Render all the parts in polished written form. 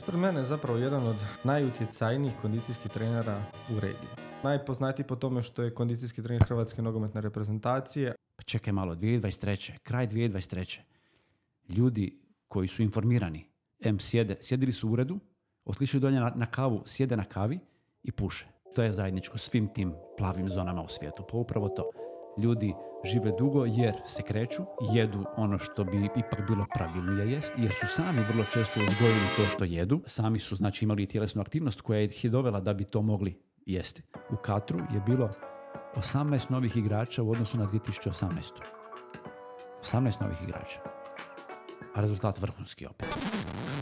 Ispred mene je zapravo jedan od najutjecajnijih kondicijskih trenera u regiji. Najpoznatiji po tome što je kondicijski trener Hrvatske nogometne reprezentacije. Pa čekaj malo, 2023. Kraj 2023. Ljudi koji su informirani, sjedili su u uredu, otišli dolje na kavu, sjede na kavi i puše. To je zajedničko svim tim plavim zonama u svijetu. Pa upravo to. Ljudi žive dugo jer se kreću, jedu ono što bi ipak bilo pravilnije jest, jer su sami vrlo često uzgojili to što jedu. Sami su znači imali tjelesnu aktivnost koja ih je dovela da bi to mogli jesti. U Katru je bilo 18 novih igrača u odnosu na 2018. 18 novih igrača. A rezultat vrhunski opet.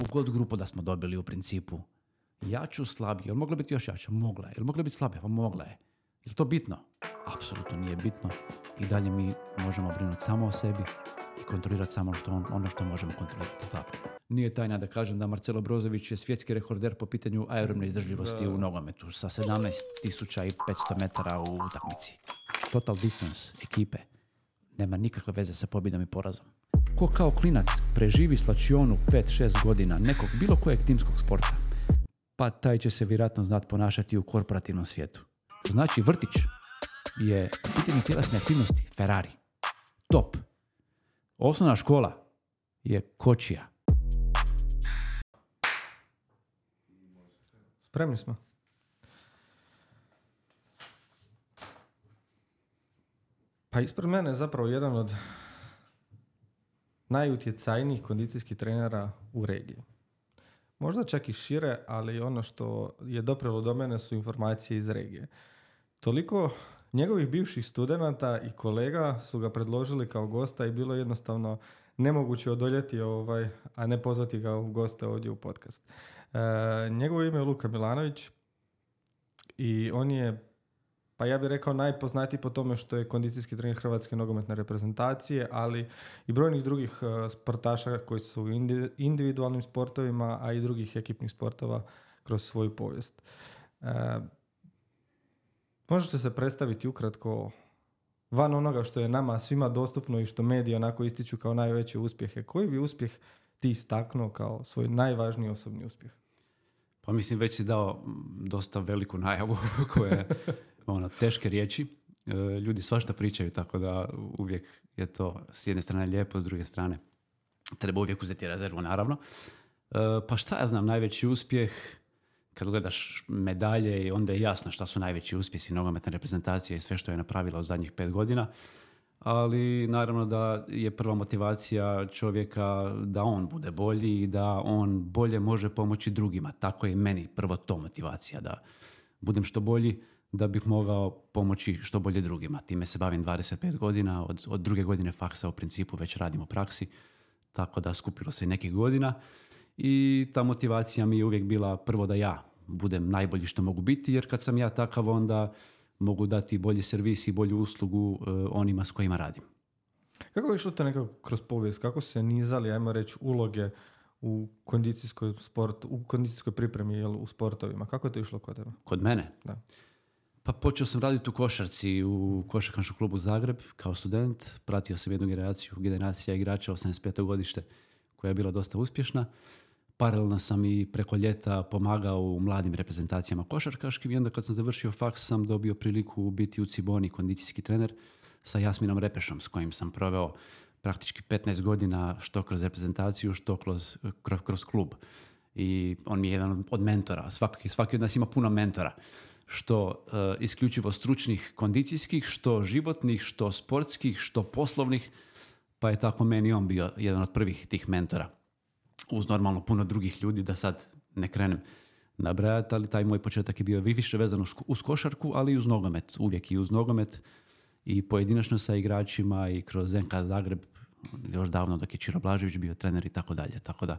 U god grupu da smo dobili u principu jaču, slabiju. Jel mogla biti još jača? Mogla je. Jel mogla biti slabija? Pa mogla je. Je li to bitno? Apsolutno nije bitno. I dalje mi možemo brinuti samo o sebi i kontrolirati samo ono što možemo kontrolirati. Tako. Nije tajna da kažem da Marcelo Brozović je svjetski rekorder po pitanju aerobne izdržljivosti u nogometu sa 17.500 metara u utakmici. Total distance ekipe nema nikakve veze sa pobjedom i porazom. Ko kao klinac preživi slačionu 5-6 godina nekog bilo kojeg timskog sporta, pa taj će se vjerojatno znati ponašati u korporativnom svijetu. Znači vrtić je pitanje tjelesne aktivnosti Ferrari. Top. Osnovna škola je kočija. Spremni smo. Pa ispred mene je zapravo jedan od najutjecajnijih kondicijskih trenera u regiji. Možda čak i šire, ali ono što je doprelo do mene su informacije iz regije. Toliko njegovih bivših studenata i kolega su ga predložili kao gosta i bilo jednostavno nemoguće odoljeti a ne pozvati ga u goste ovdje u podcast. Njegovo ime je Luka Milanović i on je, pa ja bih rekao, najpoznatiji po tome što je kondicijski trener Hrvatske nogometne reprezentacije, ali i brojnih drugih sportaša koji su u individualnim sportovima, a i drugih ekipnih sportova kroz svoju povijest. Možete se predstaviti ukratko van onoga što je nama svima dostupno i što mediji onako ističu kao najveće uspjehe. Koji bi uspjeh ti istaknuo kao svoj najvažniji osobni uspjeh? Pa mislim, već si dao dosta veliku najavu koja je teške riječi. Ljudi svašta pričaju, tako da uvijek je to s jedne strane lijepo, s druge strane treba uvijek uzeti rezervu, naravno. Pa šta ja znam, najveći uspjeh, kad gledaš medalje i onda je jasno šta su najveći uspjesi nogometne reprezentacije i sve što je napravila u zadnjih 5 godina. Ali naravno da je prva motivacija čovjeka da on bude bolji i da on bolje može pomoći drugima. Tako je meni prvo to motivacija, da budem što bolji, da bih mogao pomoći što bolje drugima. Time se bavim 25 godina, od druge godine faksa u principu već radim u praksi, tako da skupilo se i nekih godina. I ta motivacija mi je uvijek bila prvo da ja budem najbolji što mogu biti, jer kad sam ja takav onda mogu dati bolji servis i bolju uslugu onima s kojima radim. Kako je išlo to nekako kroz povijest? Kako se nizali, ajmo reći, uloge u kondicijskoj pripremi u sportovima? Kako je to išlo kod tebe? Kod mene? Da. Pa počeo sam raditi u košarci u košarkaškom klubu Zagreb kao student. Pratio sam jednu generacija igrača 85. godište koja je bila dosta uspješna. Paralelno sam i preko ljeta pomagao u mladim reprezentacijama košarkaškim i onda kad sam završio faks sam dobio priliku biti u Ciboni kondicijski trener sa Jasminom Repešom s kojim sam proveo praktički 15 godina što kroz reprezentaciju, što kroz klub. I on mi je jedan od mentora. Svaki od nas ima puno mentora. Što isključivo stručnih kondicijskih, što životnih, što sportskih, što poslovnih. Pa je tako meni on bio jedan od prvih tih mentora. Uz normalno puno drugih ljudi, da sad ne krenem nabrajati, ali taj moj početak je bio više vezan uz košarku, ali i uz nogomet. Uvijek i uz nogomet i pojedinačno sa igračima i kroz NK Zagreb, još davno dok je Čiro Blažević bio trener i tako dalje. Tako da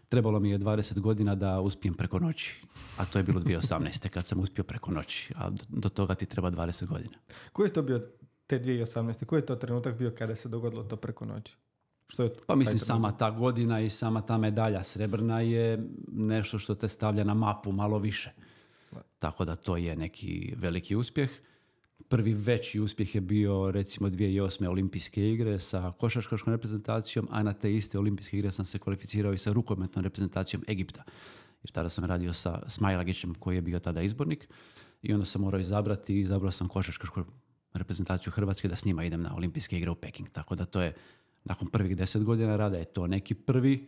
trebalo mi je 20 godina da uspijem preko noći, a to je bilo 2018. kad sam uspio preko noći, a do toga ti treba 20 godina. Koji je to bio te 2018. Koji je to trenutak bio kada se dogodilo to preko noći? Što je pa mislim sama ta godina i sama ta medalja srebrna je nešto što te stavlja na mapu malo više. Tako da to je neki veliki uspjeh. Prvi veći uspjeh je bio recimo 2008. olimpijske igre sa košarkaškom reprezentacijom, a na te iste olimpijske igre sam se kvalificirao i sa rukometnom reprezentacijom Egipta. jer tada sam radio sa Smajlagićem koji je bio tada izbornik i onda sam morao izabrati i izabrao sam košarkašku reprezentaciju Hrvatske da s njima idem na olimpijske igre u Peking. Tako da to je, nakon prvih 10 godina rada je to neki prvi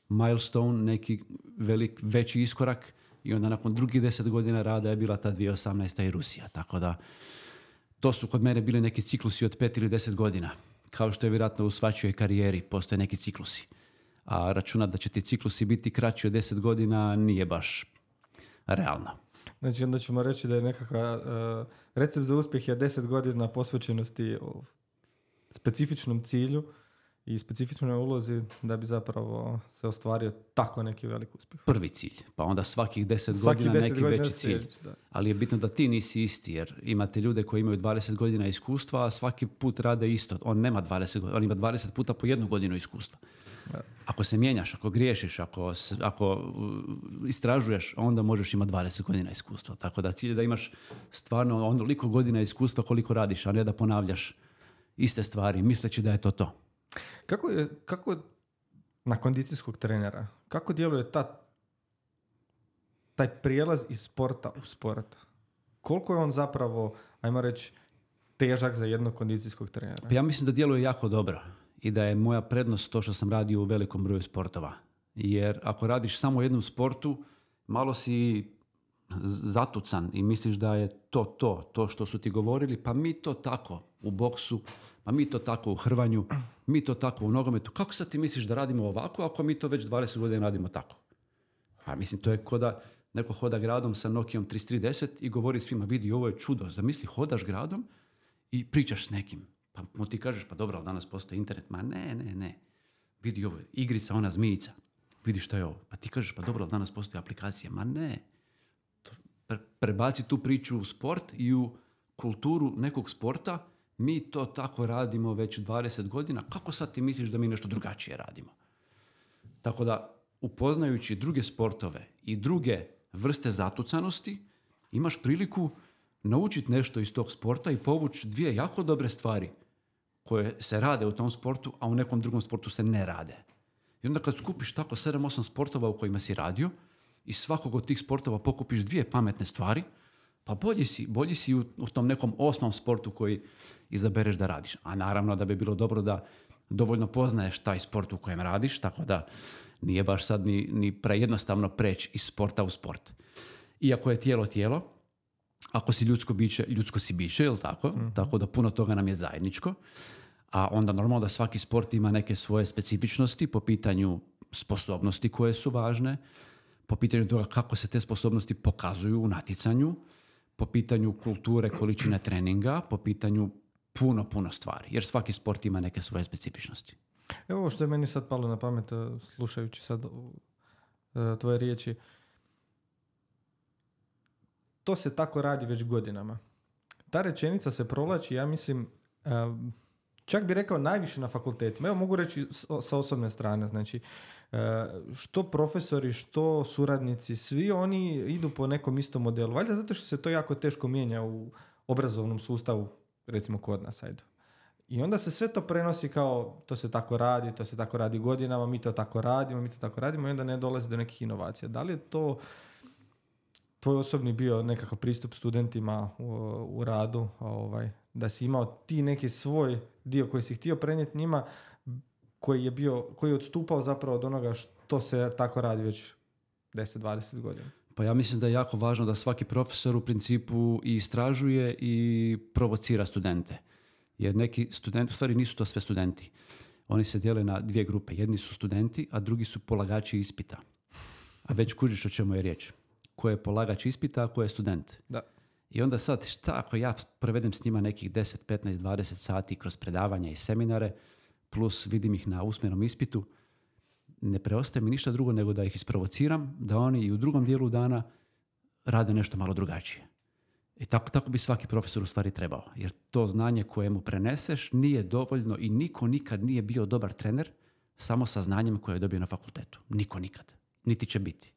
milestone, neki veći iskorak i onda nakon drugih 10 godina rada je bila ta 2018. i Rusija. Tako da to su kod mene bili neki ciklusi od 5 ili 10 godina. Kao što je vjerojatno u svačijoj karijeri postoje neki ciklusi. A računati da će ti ciklusi biti kraći od 10 godina nije baš realno. Znači onda ćemo reći da je nekakav recept za uspjeh je 10 godina posvećenosti specifičnom cilju i specifičnoj ulozi da bi zapravo se ostvario tako neki velik uspjeh. Prvi cilj, pa onda svakih 10 godina neki veći cilj. Da. Ali je bitno da ti nisi isti, jer imate ljude koji imaju 20 godina iskustva, a svaki put rade isto. On nema 20 godina, on ima 20 puta po 1 godinu iskustva. Da. Ako se mijenjaš, ako griješiš, ako istražuješ, onda možeš imati 20 godina iskustva. Tako da cilj je da imaš stvarno onoliko godina iskustva koliko radiš, a ne da ponavljaš iste stvari misleći da je to. Kako na kondicijskog trenera, kako djeluje taj prijelaz iz sporta u sport? Koliko je on zapravo, ajmo reći, težak za jednog kondicijskog trenera? Pa ja mislim da djeluje jako dobro i da je moja prednost to što sam radio u velikom broju sportova. Jer ako radiš samo u jednom sportu, malo si zatucan i misliš da je to što su ti govorili, pa mi to tako u boksu, pa mi to tako u hrvanju, mi to tako u nogometu. Kako sad ti misliš da radimo ovako ako mi to već 20 godina radimo tako? Pa mislim, to je ko da neko hoda gradom sa Nokijom 3310 i govori svima, vidi, ovo je čudo. Zamisli, hodaš gradom i pričaš s nekim. Pa mu ti kažeš, pa dobro, ali danas postoji internet. Ma ne. Vidi ovo, igrica, ona zmijica. Vidi što je ovo. Pa ti kažeš, pa dobro, ali danas postoji aplikacija. Ma ne. Prebaci tu priču u sport i u kulturu nekog sporta. Mi to tako radimo već 20 godina. Kako sad ti misliš da mi nešto drugačije radimo? Tako da, upoznajući druge sportove i druge vrste zatucanosti, imaš priliku naučiti nešto iz tog sporta i povući 2 jako dobre stvari koje se rade u tom sportu, a u nekom drugom sportu se ne rade. I onda kad skupiš tako 7-8 sportova u kojima si radio i svakog od tih sportova pokupiš 2 pametne stvari, pa bolji si u tom nekom 8. sportu koji izabereš da radiš. A naravno da bi bilo dobro da dovoljno poznaješ taj sport u kojem radiš, tako da nije baš sad ni prejednostavno preći iz sporta u sport. Iako je tijelo, ako si ljudsko biće, ljudsko si biće, jel tako? Mm-hmm. Tako da puno toga nam je zajedničko. A onda normalno da svaki sport ima neke svoje specifičnosti po pitanju sposobnosti koje su važne, po pitanju toga kako se te sposobnosti pokazuju u natjecanju, po pitanju kulture, količine treninga, po pitanju puno stvari. Jer svaki sport ima neke svoje specifičnosti. Evo ovo što je meni sad palo na pamet, slušajući sad tvoje riječi. To se tako radi već godinama. Ta rečenica se provlači, ja mislim, čak bi rekao najviše na fakultetima. Evo mogu reći sa osobne strane. Znači, što profesori, što suradnici, svi oni idu po nekom istom modelu. Valjda zato što se to jako teško mijenja u obrazovnom sustavu, recimo kod nas, ajde. I onda se sve to prenosi kao to se tako radi godinama, mi to tako radimo i onda ne dolazi do nekih inovacija. Da li je to tvoj osobni bio nekakav pristup studentima u radu, da si imao ti neki svoj dio koji si htio prenijeti njima, koji je odstupao zapravo od onoga što se tako radi već 10-20 godina? Pa ja mislim da je jako važno da svaki profesor u principu i istražuje i provocira studente. Jer neki studenti, u stvari nisu to sve studenti. Oni se dijele na 2 grupe. Jedni su studenti, a drugi su polagači ispita. A već kužiš o čemu je riječ. Ko je polagač ispita, a ko je student. Da. I onda sad, šta ako ja provedem s njima nekih 10, 15, 20 sati kroz predavanja i seminare, plus vidim ih na usmenom ispitu, ne preostaje mi ništa drugo nego da ih isprovociram, da oni i u drugom dijelu dana rade nešto malo drugačije. I tako bi svaki profesor u stvari trebao. Jer to znanje koje mu preneseš nije dovoljno i niko nikad nije bio dobar trener samo sa znanjem koje je dobio na fakultetu. Niko nikad. Niti će biti.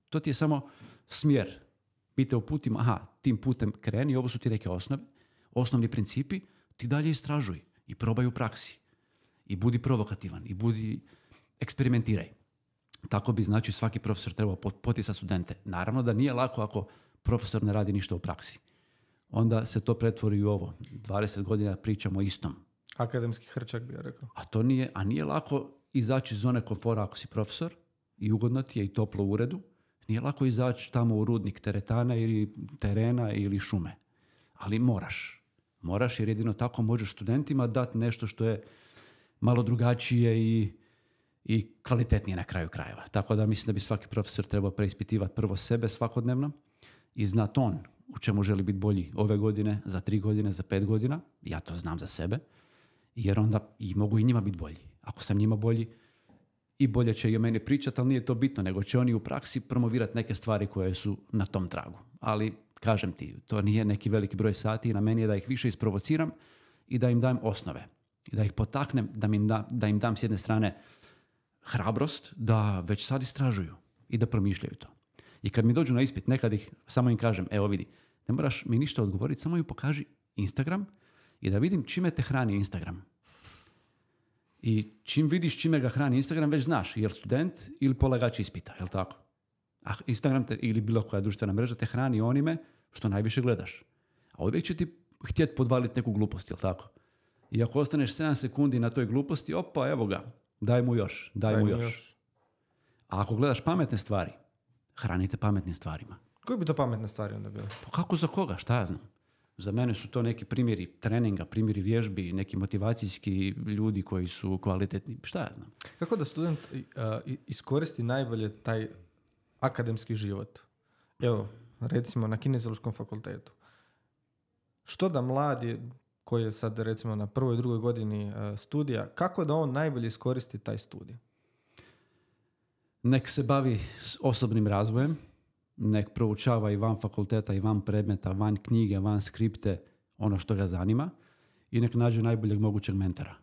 To ti je samo smjer. Mi te uputimo, tim putem kreni, ovo su ti neke osnovni principi, ti dalje istražuj i probaj u praksi. I budi provokativan, i eksperimentiraj. Tako bi, znači, svaki profesor trebao poticati studente. Naravno da nije lako ako profesor ne radi ništa u praksi. Onda se to pretvori u ovo. 20 godina pričamo o istom. Akademski hrčak bi ja rekao. A nije lako izaći iz zone komfora ako si profesor i ugodno ti je i toplo u uredu. Nije lako izaći tamo u rudnik teretana ili terena ili šume. Ali moraš. Moraš jer jedino tako možeš studentima dati nešto što je malo drugačije i kvalitetnije na kraju krajeva. Tako da mislim da bi svaki profesor trebao preispitivati prvo sebe svakodnevno i znat on u čemu želi biti bolji ove godine, za 3 godine, za 5 godina. Ja to znam za sebe. Jer onda i mogu i njima biti bolji. Ako sam njima bolji, i bolje će i o meni pričati, ali nije to bitno, nego će oni u praksi promovirati neke stvari koje su na tom tragu. Ali, kažem ti, to nije neki veliki broj sati i na meni je da ih više isprovociram i da im dam osnove. I da ih potaknem, da im dam s jedne strane hrabrost da već sad istražuju i da promišljaju to. I kad mi dođu na ispit, nekad ih samo im kažem, evo vidi, ne moraš mi ništa odgovoriti, samo mi pokaži Instagram i da vidim čime te hrani Instagram. I čim vidiš čime ga hrani Instagram, već znaš, je li student ili polagač ispita, je li tako? A Instagram ili bilo koja društvena mreža te hrani onime što najviše gledaš. A uvijek će ti htjeti podvaliti neku glupost, je li tako? I ako ostaneš 7 sekundi na toj gluposti, opa, evo ga, daj mu još. A ako gledaš pametne stvari, hranite pametnim stvarima. Koji bi to pametne stvari onda bile? Pa kako za koga, šta ja znam? Za mene su to neki primjeri treninga, primjeri vježbi, neki motivacijski ljudi koji su kvalitetni, šta ja znam. Kako da student iskoristi najbolje taj akademski život? Evo, recimo na Kineziološkom fakultetu. Što da mladi koji je sad recimo na 1. i 2. godini studija, kako da on najbolje iskoristi taj studij? Nek se bavi s osobnim razvojem, nek proučava i van fakulteta i van predmeta, van knjige, van skripte, ono što ga zanima i nek nađe najboljeg mogućeg mentora.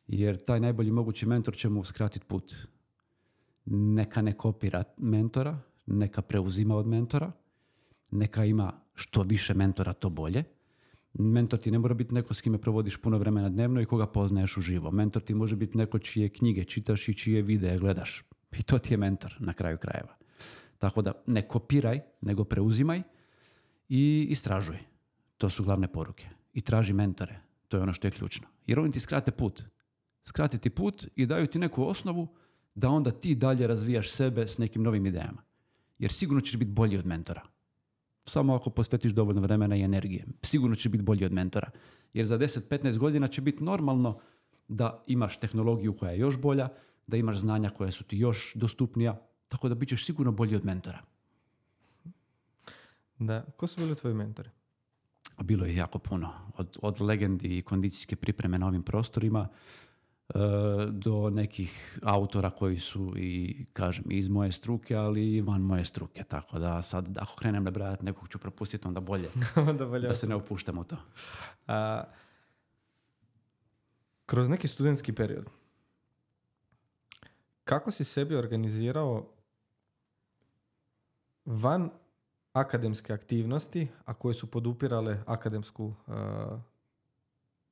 Jer taj najbolji mogući mentor će mu skratiti put. Neka ne kopira mentora, neka preuzima od mentora, neka ima što više mentora, to bolje. Mentor ti ne mora biti neko s kime provodiš puno vremena dnevno i koga poznaješ uživo. Mentor ti može biti neko čije knjige čitaš i čije videe gledaš. I to ti je mentor na kraju krajeva. Tako da ne kopiraj, nego preuzimaj i istražuj. To su glavne poruke. I traži mentore. To je ono što je ključno. Jer oni ti skrate put. Skrati ti put i daju ti neku osnovu da onda ti dalje razvijaš sebe s nekim novim idejama. Jer sigurno ćeš biti bolji od mentora. Samo ako posvetiš dovoljno vremena i energije. Sigurno ćeš biti bolji od mentora. Jer za 10-15 godina će biti normalno da imaš tehnologiju koja je još bolja, da imaš znanja koja su ti još dostupnija, tako da bit ćeš sigurno bolji od mentora. Da. Ko su bili tvoji mentori? Bilo je jako puno. Od legendi i kondicijske pripreme na ovim prostorima do nekih autora koji su i, kažem, iz moje struke, ali i van moje struke. Tako da sad, ako krenem nabrajati, nekog ću propustiti, onda bolje da se ne opuštamo u to. Kroz neki studentski period, kako si sebi organizirao van akademske aktivnosti, a koje su podupirale akademsku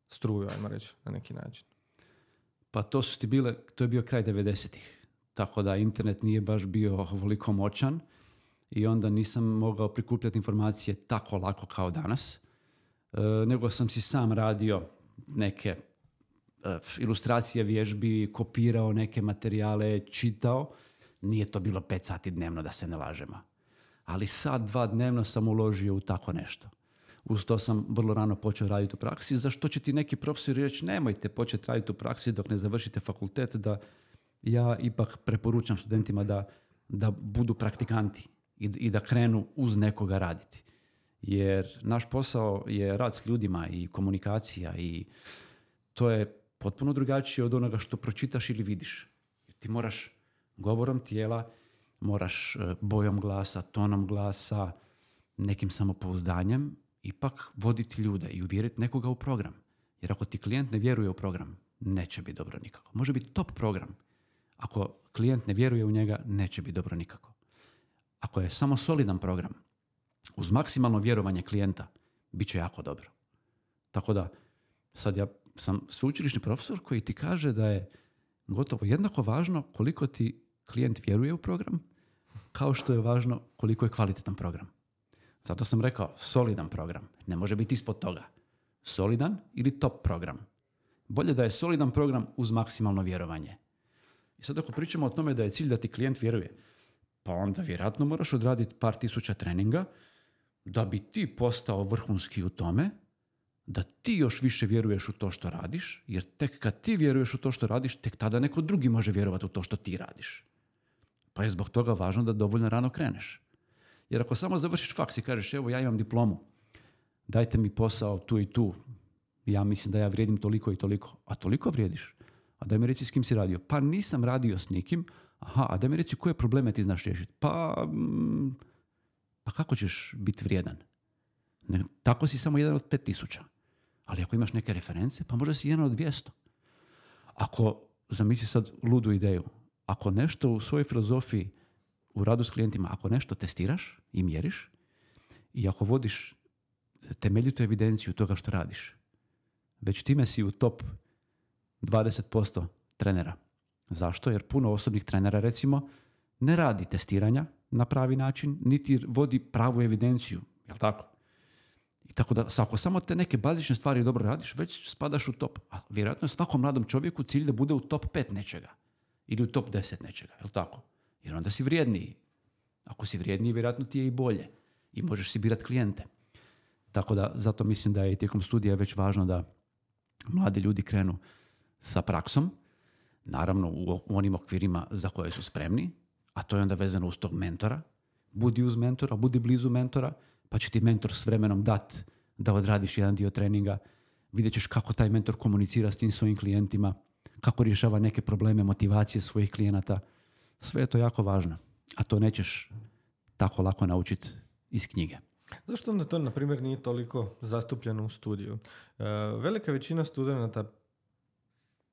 struju, ajmo reći, na neki način? Pa to je bio kraj 90-ih. Tako da internet nije baš bio ovoliko moćan i onda nisam mogao prikupljati informacije tako lako kao danas. Nego sam si sam radio neke ilustracije vježbi, kopirao neke materijale, čitao. Nije to bilo 5 sati dnevno, da se ne lažemo. Ali sat, 2 dnevno sam uložio u tako nešto. Uz to sam vrlo rano počeo raditi u praksi, za što će ti neki profesori reći nemojte početi raditi u praksi dok ne završite fakultet, da ja ipak preporučam studentima da budu praktikanti i da krenu uz nekoga raditi. Jer naš posao je rad s ljudima i komunikacija i to je potpuno drugačije od onoga što pročitaš ili vidiš. Ti moraš govorom tijela, moraš bojom glasa, tonom glasa, nekim samopouzdanjem ipak voditi ljude i uvjeriti nekoga u program. Jer ako ti klijent ne vjeruje u program, neće biti dobro nikako. Može biti top program. Ako klijent ne vjeruje u njega, neće biti dobro nikako. Ako je samo solidan program, uz maksimalno vjerovanje klijenta, bit će jako dobro. Tako da, sad ja sam sveučilišni profesor koji ti kaže da je gotovo jednako važno koliko ti klijent vjeruje u program, kao što je važno koliko je kvalitetan program. Zato sam rekao solidan program. Ne može biti ispod toga. Solidan ili top program. Bolje da je solidan program uz maksimalno vjerovanje. I sad ako pričamo o tome da je cilj da ti klijent vjeruje, pa onda vjerojatno moraš odraditi par tisuća treninga da bi ti postao vrhunski u tome, da ti još više vjeruješ u to što radiš, jer tek kad ti vjeruješ u to što radiš, tek tada neko drugi može vjerovati u to što ti radiš. Pa je zbog toga važno da dovoljno rano kreneš. Jer ako samo završiš faks i kažeš, evo ja imam diplomu, dajte mi posao tu i tu, ja mislim da ja vrijedim toliko i toliko, a toliko vrijediš, a daj mi reci s kim si radio. Pa nisam radio s nikim, a daj mi reci koje probleme ti znaš riješiti. Pa kako ćeš biti vrijedan? Tako si samo jedan od 5000. Ali ako imaš neke reference, pa možda si jedan od 200. Ako, zamisli sad ludu ideju, ako nešto u svojoj filozofiji, u radu s klijentima, ako nešto testiraš i mjeriš i ako vodiš temeljitu evidenciju toga što radiš, već time si u top 20% trenera. Zašto? Jer puno osobnih trenera, recimo, ne radi testiranja na pravi način, niti vodi pravu evidenciju. Jel' tako? I tako da, ako samo te neke bazične stvari dobro radiš, već spadaš u top. A vjerojatno je svakom mladom čovjeku cilj da bude u top 5 nečega. Ili u top 10 nečega. Jel' tako? Jer onda si vrijedniji. Ako si vrijedniji, vjerojatno ti je i bolje. I možeš si birati klijente. Tako da, zato mislim da je tijekom studija već važno da mladi ljudi krenu sa praksom, naravno u onim okvirima za koje su spremni, a to je onda vezano uz tog mentora. Budi uz mentora, budi blizu mentora, pa će ti mentor s vremenom dat da odradiš jedan dio treninga, vidjet ćeš kako taj mentor komunicira s tim svojim klijentima, kako rješava neke probleme motivacije svojih klijenata. Sve je to jako važno, a to nećeš tako lako naučiti iz knjige. Zašto onda to, na primjer, nije toliko zastupljeno u studiju? Velika većina studenata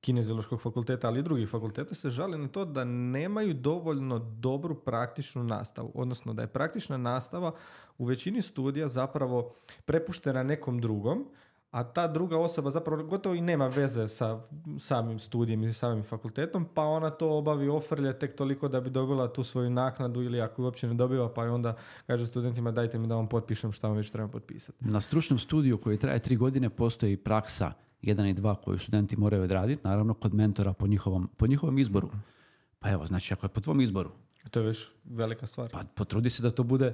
Kineziološkog fakulteta, ali i drugih fakulteta se žali na to da nemaju dovoljno dobru praktičnu nastavu. Odnosno da je praktična nastava u većini studija zapravo prepuštena nekom drugom, a ta druga osoba zapravo gotovo i nema veze sa samim studijem i samim fakultetom, pa ona to obavi, ofrlje tek toliko da bi dobila tu svoju naknadu ili ako ju uopće ne dobiva, pa onda kaže studentima dajte mi da vam potpišem šta vam već trebam potpisati. Na stručnom studiju koji traje 3 godine postoji praksa 1 i 2 koju studenti moraju odraditi, naravno kod mentora po njihovom izboru. Pa evo, znači ako je po tvom izboru. To je već velika stvar. Pa potrudi se da to bude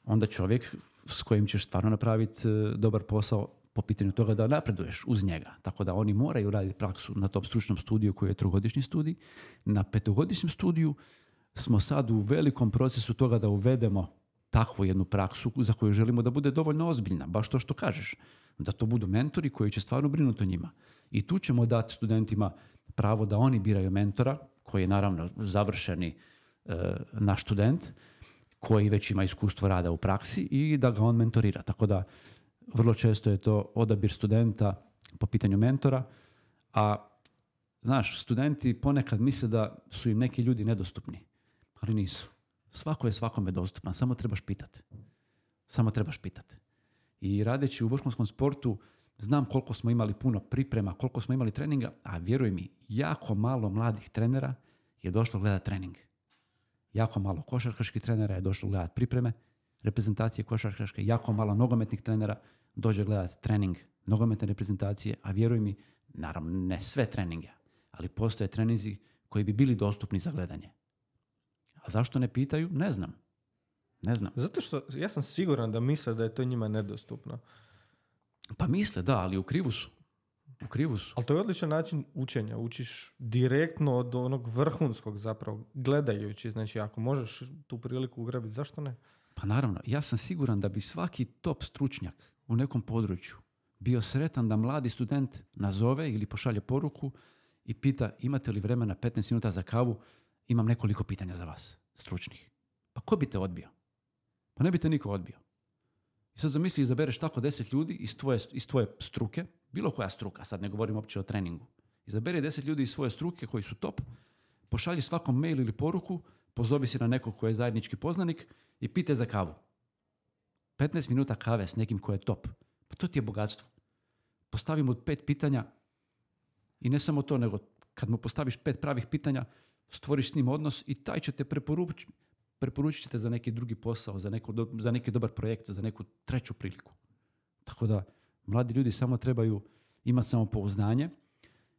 onda čovjek s kojim ćeš stvarno napraviti dobar posao po pitanju toga da napreduješ uz njega. Tako da oni moraju raditi praksu na tom stručnom studiju koji je 3-godišnji studij. Na 5-godišnjem studiju smo sad u velikom procesu toga da uvedemo takvu jednu praksu za koju želimo da bude dovoljno ozbiljna. Baš to što kažeš. Da to budu mentori koji će stvarno brinuti o njima. I tu ćemo dati studentima pravo da oni biraju mentora, koji je naravno završeni naš student, koji već ima iskustvo rada u praksi i da ga on mentorira. Tako da vrlo često je to odabir studenta po pitanju mentora, a znaš, studenti ponekad misle da su im neki ljudi nedostupni, ali nisu. Svako je svakome dostupan, samo trebaš pitati. I radeći u vrhunskom sportu znam koliko smo imali puno priprema, koliko smo imali treninga, a vjeruj mi, jako malo mladih trenera je došlo gledati trening. Jako malo košarkaških trenera je došlo gledati pripreme, reprezentacije košarkaške, jako malo nogometnih trenera dođe gledati trening nogometne reprezentacije, a vjeruj mi, naravno ne sve treninge, ali postoje treninzi koji bi bili dostupni za gledanje. A zašto ne pitaju? Ne znam. Zato što ja sam siguran da misle da je to njima nedostupno. Pa misle, da, ali u krivu su. Ali to je odličan način učenja. Učiš direktno od onog vrhunskog zapravo, gledajući. Znači, ako možeš tu priliku ugrabiti, zašto ne? Pa naravno, ja sam siguran da bi svaki top stručnjak u nekom području bio sretan da mladi student nazove ili pošalje poruku i pita imate li vremena 15 minuta za kavu, imam nekoliko pitanja za vas, stručnih. Pa ko bi te odbio? Pa ne bi te niko odbio. I sad zamisli, izabereš tako 10 ljudi iz tvoje struke, bilo koja struka, sad ne govorim uopće o treningu. Izaberi 10 ljudi iz svoje struke koji su top, pošalji svakom mail ili poruku, pozovi si na nekog koji je zajednički poznanik i pite za kavu. 15 minuta kave s nekim koji je top. Pa to ti je bogatstvo. Postavi mu 5 pitanja i ne samo to, nego kad mu postaviš 5 pravih pitanja, stvoriš s njim odnos i taj će te preporučit ćete za neki drugi posao, za neki dobar projekt, za neku treću priliku. Tako da, mladi ljudi samo trebaju imati samopouzdanje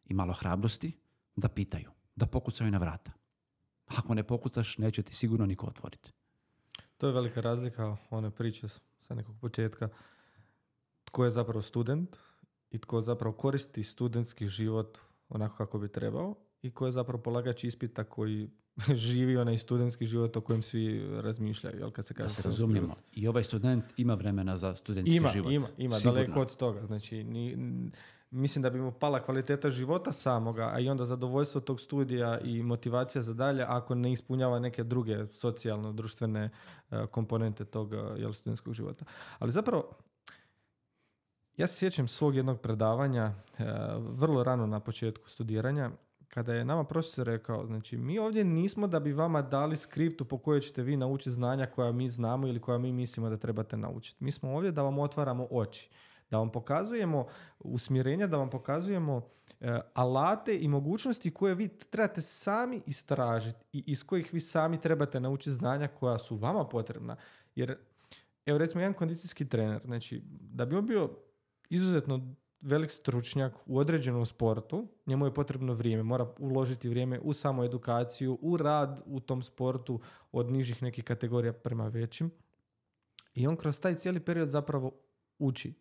i malo hrabrosti da pitaju, da pokucaju na vrata. Ako ne pokucaš, neće ti sigurno niko otvoriti. To je velika razlika, one priče sa nekog početka. Tko je zapravo student i tko zapravo koristi studentski život onako kako bi trebao i ko je zapravo polagač ispita koji živi onaj studentski život o kojem svi razmišljaju. Jel, kad se kaže da se razumijemo. I ovaj student ima vremena za studentski život. Ima daleko od toga. Znači, mislim da bi mu pala kvaliteta života samoga, a i onda zadovoljstvo tog studija i motivacija za dalje ako ne ispunjava neke druge socijalno-društvene komponente tog studentskog života. Ali zapravo, ja se sjećam svog jednog predavanja vrlo rano na početku studiranja, kada je nama profesor rekao, znači mi ovdje nismo da bi vama dali skriptu po kojoj ćete vi naučiti znanja koja mi znamo ili koja mi mislimo da trebate naučiti. Mi smo ovdje da vam otvaramo oči, da vam pokazujemo usmjerenja, da vam pokazujemo alate i mogućnosti koje vi trebate sami istražiti i iz kojih vi sami trebate naučiti znanja koja su vama potrebna. Jer, evo recimo, jedan kondicijski trener, znači da bi on bio izuzetno velik stručnjak u određenom sportu, njemu je potrebno vrijeme, mora uložiti vrijeme u samu edukaciju, u rad u tom sportu od nižih nekih kategorija prema većim. I on kroz taj cijeli period zapravo uči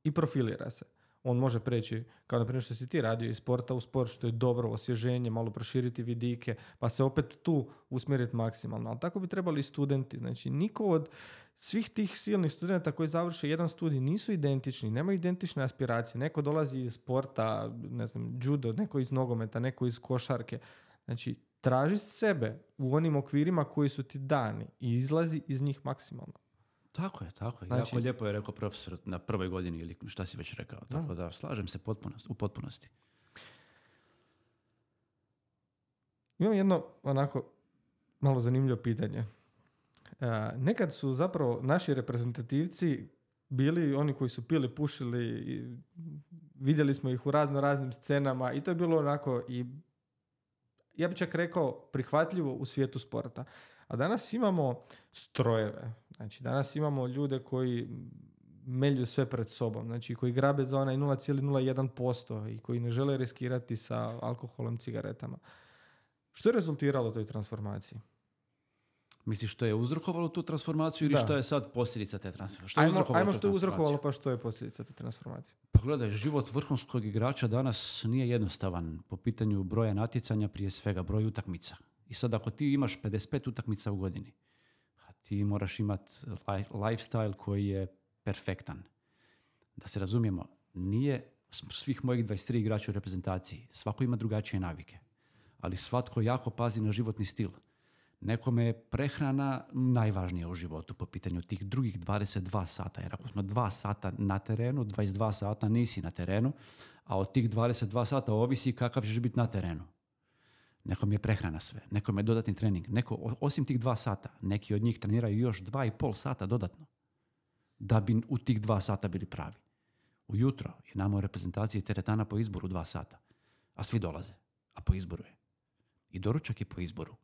i profilira se. On može preći, kao na primjer što si ti radio, iz sporta u sport, što je dobro, osvježenje, malo proširiti vidike, pa se opet tu usmjeriti maksimalno. Ali tako bi trebali i studenti. Znači, niko od svih tih silnih studenta koji završe jedan studij nisu identični, nemaju identične aspiracije. Neko dolazi iz sporta, ne znam, judo, neko iz nogometa, neko iz košarke. Znači, traži sebe u onim okvirima koji su ti dani i izlazi iz njih maksimalno. Tako je. Znači, jako lijepo je rekao profesor na prvoj godini ili šta si već rekao. Tako da slažem se u potpunosti. Imam jedno onako malo zanimljivo pitanje. Nekad su zapravo naši reprezentativci bili oni koji su pili, pušili i vidjeli smo ih u raznim scenama i to je bilo onako i ja bih čak rekao prihvatljivo u svijetu sporta. A danas imamo strojeve. Znači, danas imamo ljude koji melju sve pred sobom. Znači, koji grabe za onaj 0,01% i koji ne žele riskirati sa alkoholom, cigaretama. Što je rezultiralo toj transformaciji? Misliš što je uzrokovalo tu transformaciju ili što je sad posljedica te transformacije? Ajmo što je uzrokovalo pa što je posljedica te transformacije? Pa gledaj, život vrhunskog igrača danas nije jednostavan po pitanju broja natjecanja, prije svega broj utakmica. I sad ako ti imaš 55 utakmica u godini, a ti moraš imati lifestyle koji je perfektan. Da se razumijemo, nije svih mojih 23 igrača u reprezentaciji. Svako ima drugačije navike. Ali svatko jako pazi na životni stil. Nekome je prehrana najvažnija u životu po pitanju tih drugih 22 sata. Jer ako smo 2 sata na terenu, 22 sata nisi na terenu, a od tih 22 sata ovisi kakav ćeš biti na terenu. Nekom je prehrana sve, nekom je dodatni trening. Neko, osim tih 2 sata, neki od njih treniraju još 2,5 sata dodatno da bi u tih 2 sata bili pravi. Ujutro je nama u reprezentaciji teretana po izboru 2 sata, a svi dolaze, a po izboru je. I doručak je po izboru.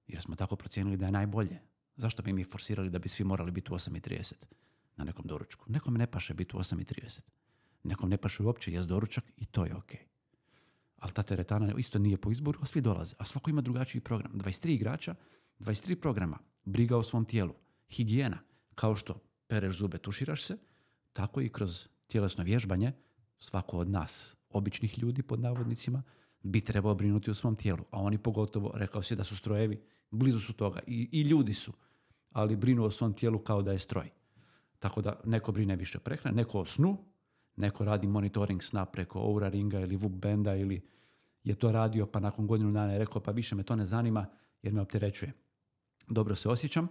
Jer smo tako procijenili da je najbolje. Zašto bi mi forsirali da bi svi morali biti u 8:30 na nekom doručku? Nekom ne paše biti u 8:30. Nekom ne paše uopće jest doručak i to je ok. Ali ta teretana isto nije po izboru, a svi dolaze. A svako ima drugačiji program. 23 igrača, 23 programa. Briga o svom tijelu. Higijena. Kao što pereš zube, tuširaš se, tako i kroz tjelesno vježbanje svako od nas, običnih ljudi pod navodnicima, bi trebao brinuti o svom tijelu. A oni pogotovo, rekao si da su strojevi, blizu su toga. I ljudi su. Ali brinu o svom tijelu kao da je stroj. Tako da neko brine više prehrane, neko o snu, neko radi monitoring sna preko Oura Ringa ili Whoop Banda ili je to radio pa nakon godinu dana je rekao pa više me to ne zanima jer me opterećuje. Dobro se osjećam,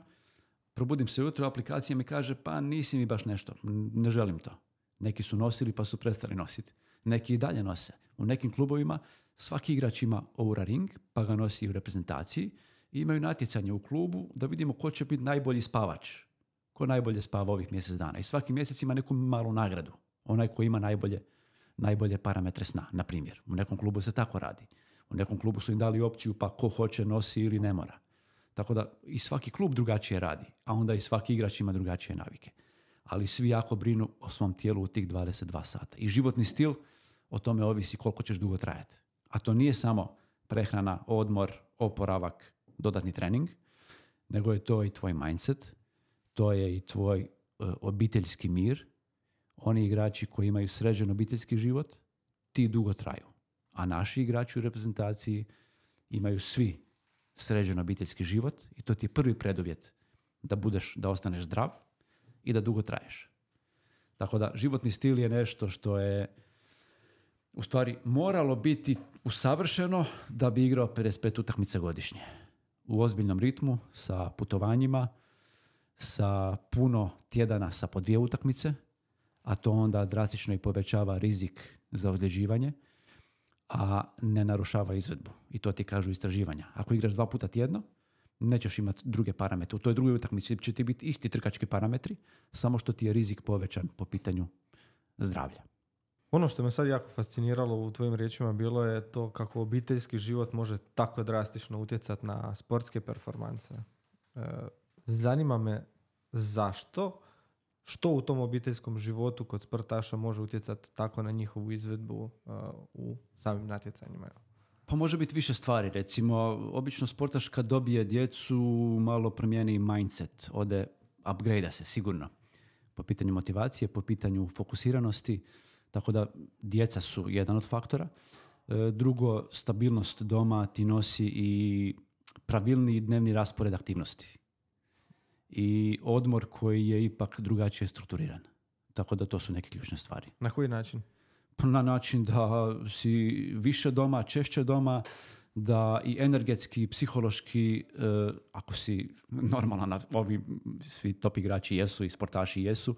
probudim se ujutro, aplikacija mi kaže pa nisi mi baš nešto, ne želim to. Neki su nosili pa su prestali nositi. Neki i dalje nose. U nekim klubovima svaki igrač ima Oura Ring pa ga nosi u reprezentaciji i imaju natjecanje u klubu da vidimo ko će biti najbolji spavač. Ko najbolje spava ovih mjesec dana. I svaki mjesec ima neku malu nagradu. Onaj koji ima najbolje parametre sna, na primjer. U nekom klubu se tako radi. U nekom klubu su im dali opciju pa ko hoće nosi ili ne mora. Tako da i svaki klub drugačije radi, a onda i svaki igrač ima drugačije navike. Ali svi jako brinu o svom tijelu u tih 22 sata. I životni stil, o tome ovisi koliko ćeš dugo trajati. A to nije samo prehrana, odmor, oporavak, dodatni trening, nego je to i tvoj mindset, to je i tvoj obiteljski mir. Oni igrači koji imaju sređen obiteljski život, ti dugo traju. A naši igrači u reprezentaciji imaju svi sređen obiteljski život i to ti je prvi preduvjet da ostaneš zdrav i da dugo traješ. Tako da životni stil je nešto što je u stvari moralo biti usavršeno da bi igrao 55 utakmica godišnje. U ozbiljnom ritmu, sa putovanjima, sa puno tjedana sa po 2 utakmice, a to onda drastično i povećava rizik za ozljeđivanje, a ne narušava izvedbu. I to ti kažu istraživanja. Ako igraš 2 puta tjedno, nećeš imati druge parametre. U toj drugoj utakmici će ti biti isti trkački parametri, samo što ti je rizik povećan po pitanju zdravlja. Ono što me sad jako fasciniralo u tvojim riječima bilo je to kako obiteljski život može tako drastično utjecati na sportske performanse. Zanima me zašto, što u tom obiteljskom životu kod sportaša može utjecati tako na njihovu izvedbu u samim natjecanjima. Pa može biti više stvari. Recimo, obično sportaš kad dobije djecu malo promijeni mindset, upgrade se sigurno. Po pitanju motivacije, po pitanju fokusiranosti, tako da djeca su jedan od faktora. Drugo, stabilnost doma ti nosi i pravilni dnevni raspored aktivnosti. I odmor koji je ipak drugačije strukturiran. Tako da to su neke ključne stvari. Na koji način? Na način da si više doma, češće doma, da i energetski, i psihološki, ako si normalan, ovi svi top igrači jesu i sportaši jesu,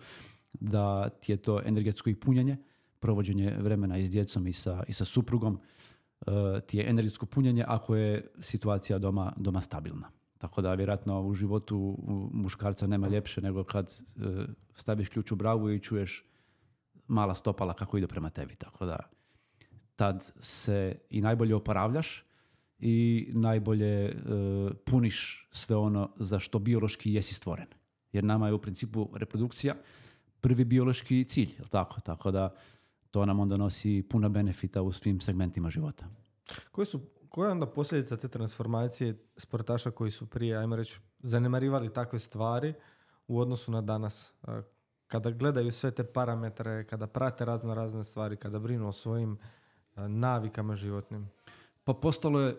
da ti je to energetsko i punjenje, provođenje vremena i s djecom i sa suprugom, ti je energetsko punjenje ako je situacija doma stabilna. Tako da vjerojatno u životu muškarca nema ljepše nego kad staviš ključ u bravu i čuješ mala stopala kako idu prema tebi. Tako da tad se i najbolje oporavljaš i najbolje puniš sve ono za što biološki jesi stvoren. Jer nama je u principu reprodukcija prvi biološki cilj, jel tako? Tako da to nam onda nosi puno benefita u svim segmentima života. Koja je onda posljedica te transformacije sportaša koji su prije, ajmo reći, zanemarivali takve stvari u odnosu na danas? Kada gledaju sve te parametre, kada prate razne stvari, kada brinu o svojim navikama životnim? Pa postalo je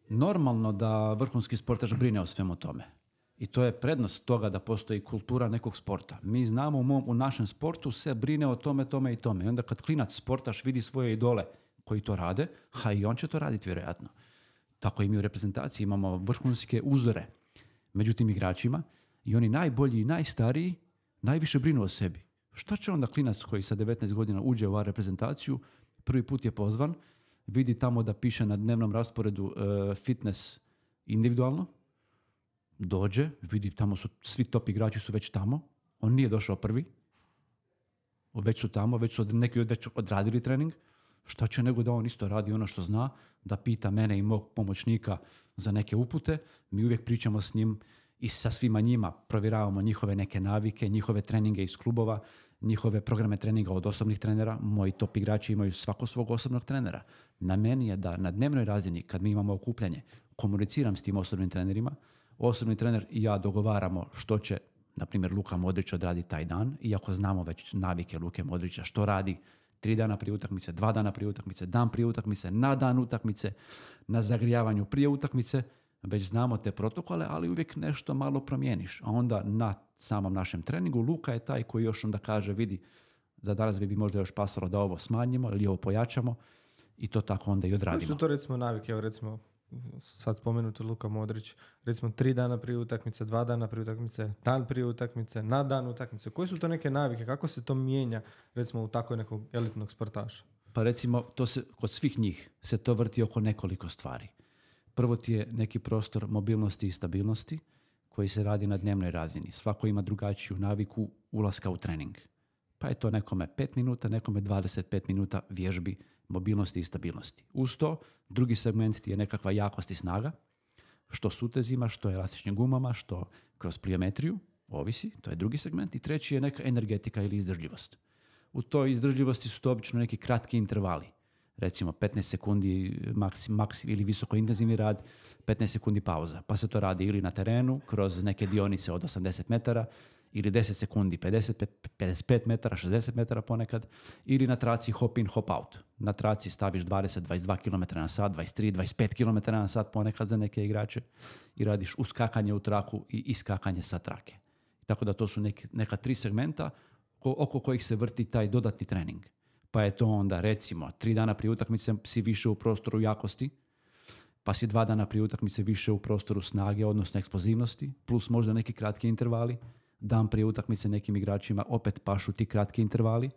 normalno da vrhunski sportaš brine o svemu tome. I to je prednost toga da postoji kultura nekog sporta. Mi znamo u našem sportu se brine o tome i tome. I onda kad klinac sportaš vidi svoje idole koji to rade, i on će to raditi vjerojatno. Tako i mi u reprezentaciji imamo vrhunske uzore među tim igračima i oni najbolji i najstariji najviše brinu o sebi. Šta će onda klinac koji sa 19 godina uđe u reprezentaciju, prvi put je pozvan, vidi tamo da piše na dnevnom rasporedu fitness individualno, dođe, vidi tamo su svi top igrači su već tamo, on nije došao prvi, već su tamo, neki već odradili trening, šta će nego da on isto radi ono što zna, da pita mene i mog pomoćnika za neke upute, mi uvijek pričamo s njim i sa svima njima, provjeravamo njihove neke navike, njihove treninge iz klubova, njihove programe treninga od osobnih trenera. Moji top igrači imaju svako svog osobnog trenera. Na meni je da na dnevnoj razini, kad mi imamo okupljanje, komuniciram s tim osobnim trenerima, osobni trener i ja dogovaramo što će, na primjer, Luka Modrić odraditi taj dan, iako znamo već navike Luke Modrića, što radi 3 dana prije utakmice, 2 dana prije utakmice, dan prije utakmice, na dan utakmice, na zagrijavanju prije utakmice, već znamo te protokole, ali uvijek nešto malo promijeniš. A onda na samom našem treningu Luka je taj koji još onda kaže, vidi, za danas bi možda još pasalo da ovo smanjimo ili ovo pojačamo i to tako onda i odradimo. Koji su to recimo navike? Evo recimo, sad spomenuti Luka Modrić, recimo 3 dana prije utakmice, 2 dana prije utakmice, dan prije utakmice, na dan utakmice. Koji su to neke navike? Kako se to mijenja recimo u tako nekog elitnog sportaša? Pa recimo, to se, kod svih njih se to vrti oko nekoliko stvari. Prvo ti je neki prostor mobilnosti i stabilnosti koji se radi na dnevnoj razini. Svako ima drugačiju naviku ulaska u trening. Pa je to nekome 5 minuta, nekome 25 minuta vježbi mobilnosti i stabilnosti. Uz to, drugi segment ti je nekakva jakost i snaga, što sutezima, što elastičnim gumama, što kroz pliometriju, ovisi, to je drugi segment. I treći je neka energetika ili izdržljivost. U toj izdržljivosti su to obično neki kratki intervali. Recimo 15 sekundi ili visoko intenzivni rad, 15 sekundi pauza. Pa se to radi ili na terenu, kroz neke dionice od 80 metara, ili 10 sekundi, 55 metara, 60 metara ponekad, ili na traci hop in, hop out. Na traci staviš 20-22 km na sat, 23-25 km na sat ponekad za neke igrače i radiš uskakanje u traku i iskakanje sa trake. Tako da to su neka 3 segmenta oko kojih se vrti taj dodatni trening. Pa je to onda recimo 3 dana prije utakmice si više u prostoru jakosti, pa si 2 dana prije utakmice više u prostoru snage, odnosno eksplozivnosti, plus možda neki kratki intervali. Dan prije utakmice nekim igračima opet pašu ti kratki intervali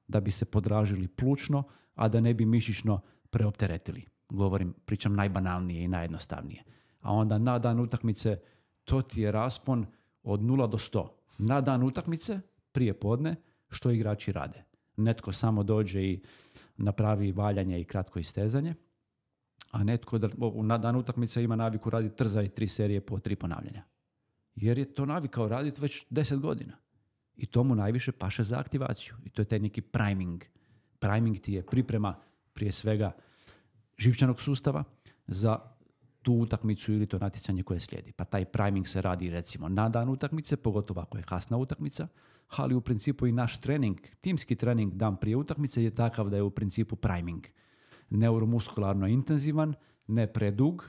da bi se podražili plućno, a da ne bi mišićno preopteretili. Pričam najbanalnije i najjednostavnije. A onda na dan utakmice to ti je raspon od 0 do 100. Na dan utakmice, prije podne, što igrači rade. Netko samo dođe i napravi valjanje i kratko istezanje, a netko na dan utakmice ima naviku raditi trza i 3 serije po 3 ponavljanja. Jer je to navikao raditi već 10 godina. I to mu najviše paše za aktivaciju. I to je taj neki priming. Priming ti je priprema prije svega živčanog sustava za tu utakmicu ili to natjecanje koje slijedi. Pa taj priming se radi recimo na dan utakmice, pogotovo ako je kasna utakmica, ali u principu i naš trening, timski trening dan prije utakmice je takav da je u principu priming. Neuromuskularno intenzivan, ne predug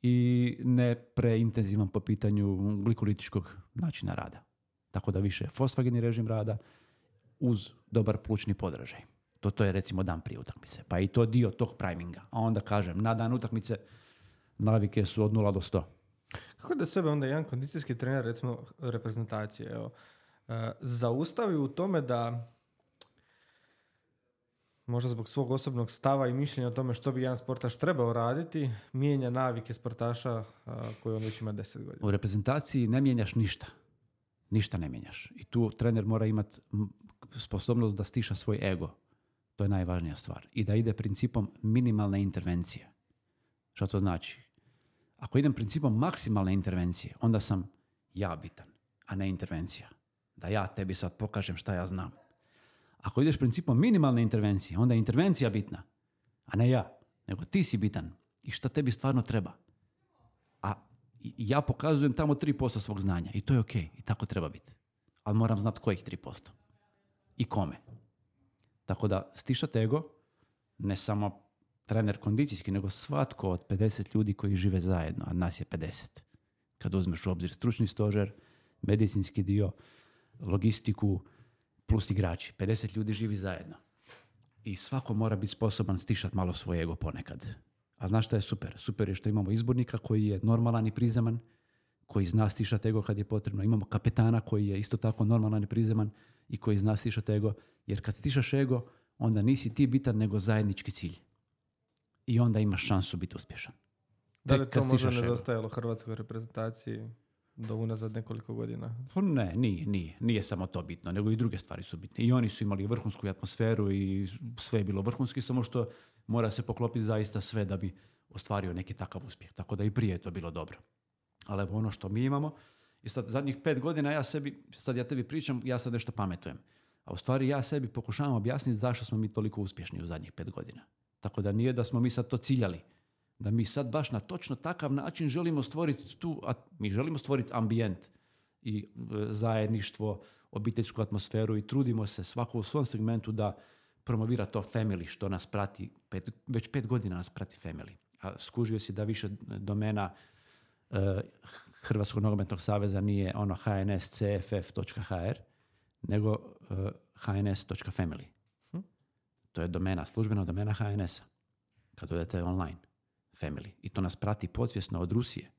i ne preintenzivan po pitanju glikolitičkog načina rada. Tako da više fosfageni režim rada uz dobar plućni podražaj. To je recimo dan prije utakmice. Pa i to dio tog priminga. A onda kažem, na dan utakmice navike su od 0 do 100. Kako da sebe onda jedan kondicijski trener, recimo reprezentacije, zaustavi u tome da možda zbog svog osobnog stava i mišljenja o tome što bi jedan sportaš trebao raditi, mijenja navike sportaša koji on već ima 10 godina? U reprezentaciji ne mijenjaš ništa. Ništa ne mijenjaš. I tu trener mora imati sposobnost da stiša svoj ego. To je najvažnija stvar. I da ide principom minimalne intervencije. Što to znači? Ako idem principom maksimalne intervencije, onda sam ja bitan, a ne intervencija. Da ja tebi sad pokažem šta ja znam. Ako ideš principom minimalne intervencije, onda je intervencija bitna, a ne ja. Nego ti si bitan i šta tebi stvarno treba. A ja pokazujem tamo 3% svog znanja i to je okej. I tako treba biti. Ali moram znati kojih 3%. I kome. Tako da stišate ego, ne samo trener kondicijski, nego svatko od 50 ljudi koji žive zajedno, a nas je 50. Kad uzmeš u obzir stručni stožer, medicinski dio, logistiku, plus igrači. 50 ljudi živi zajedno. I svako mora biti sposoban stišati malo svoj ego ponekad. A znaš šta je super? Super je što imamo izbornika koji je normalan i prizeman, koji zna stišati ego kad je potrebno. Imamo kapetana koji je isto tako normalan i prizeman i koji zna stišati ego. Jer kad stišaš ego, onda nisi ti bitan, nego zajednički cilj. I onda imaš šansu biti uspješan. Da li to možda nedostajalo hrvatskoj reprezentaciji do unazad nekoliko godina? Ne, nije samo to bitno, nego i druge stvari su bitne. I oni su imali vrhunsku atmosferu i sve je bilo vrhunski, samo što mora se poklopiti zaista sve da bi ostvario neki takav uspjeh. Tako da i prije je to bilo dobro. Ali evo ono što mi imamo, i sad zadnjih 5 godina ja tebi pričam, ja sad nešto pametujem. A u stvari ja sebi pokušavam objasniti zašto smo mi toliko uspješni u zadnjih 5 godina. Tako da nije da smo mi sad to ciljali. Da mi sad baš na točno takav način želimo stvoriti mi želimo stvoriti ambijent i zajedništvo, obiteljsku atmosferu i trudimo se svako u svom segmentu da promovira to family što nas prati, već 5 godina nas prati family. A skužio si da više domena Hrvatskog nogometnog saveza nije ono hnscff.hr nego hns.family. To je domena, službena domena HNS-a. Kad odete online. Family. I to nas prati podsvjesno od Rusije.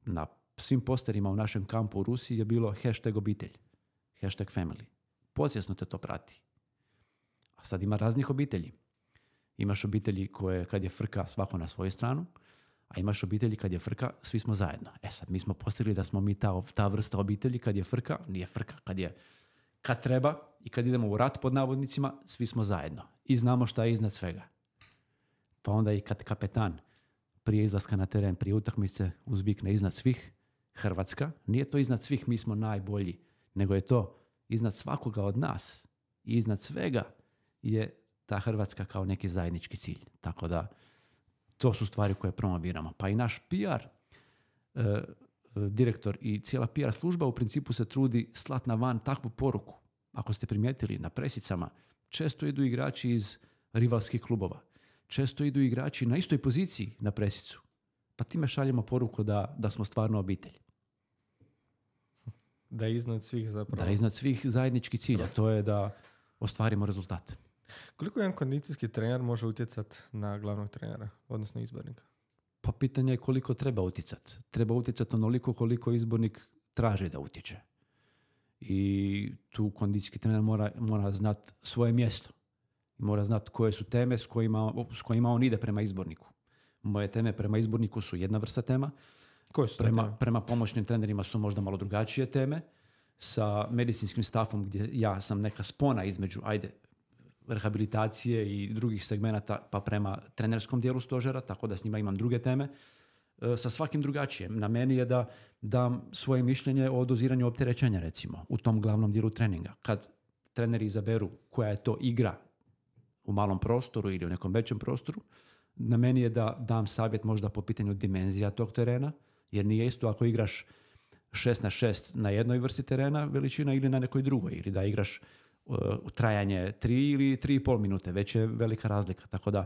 Na svim posterima u našem kampu u Rusiji je bilo #obitelj. #family. Podsvjesno te to prati. A sad ima raznih obitelji. Imaš obitelji koje kad je frka svako na svoju stranu, a imaš obitelji kad je frka svi smo zajedno. Sad mi smo postigli da smo mi ta vrsta obitelji kad je frka, nije frka, kad treba i kad idemo u rat pod navodnicima, svi smo zajedno. I znamo šta je iznad svega. Pa onda i kad kapetan prije izlaska na teren, prije utakmice uzvikne iznad svih Hrvatska, nije to iznad svih mi smo najbolji, nego je to iznad svakoga od nas i iznad svega je ta Hrvatska kao neki zajednički cilj. Tako da to su stvari koje promoviramo. Pa i naš PR direktor i cijela PR služba u principu se trudi slat na van takvu poruku. Ako ste primijetili, na presicama često idu igrači iz rivalskih klubova. Često idu igrači na istoj poziciji na presicu. Pa time šaljemo poruku da smo stvarno obitelj. Da je iznad svih zapravo. Da je iznad svih zajednički cilj, a to je da ostvarimo rezultat. Koliko jedan kondicijski trener može utjecati na glavnog trenera, odnosno izbornika? Pa pitanje je koliko treba utjecati. Treba utjecati onoliko koliko izbornik traži da utječe. I tu kondicijski trener mora znati svoje mjesto. Mora znati koje su teme s kojima on ide prema izborniku. Moje teme prema izborniku su jedna vrsta tema. Koje su prema pomoćnim trenerima su možda malo drugačije teme. Sa medicinskim stafom gdje ja sam neka spona između rehabilitacije i drugih segmenata pa prema trenerskom dijelu stožera, tako da s njima imam druge teme. Sa svakim drugačije. Na meni je da dam svoje mišljenje o doziranju opterećenja, recimo, u tom glavnom dijelu treninga. Kad treneri izaberu koja je to igra u malom prostoru ili u nekom većem prostoru, na meni je da dam savjet možda po pitanju dimenzija tog terena, jer nije isto ako igraš 6x6 na jednoj vrsti terena veličina ili na nekoj drugoj, ili da igraš trajanje 3 ili 3,5 minute, već je velika razlika. Tako da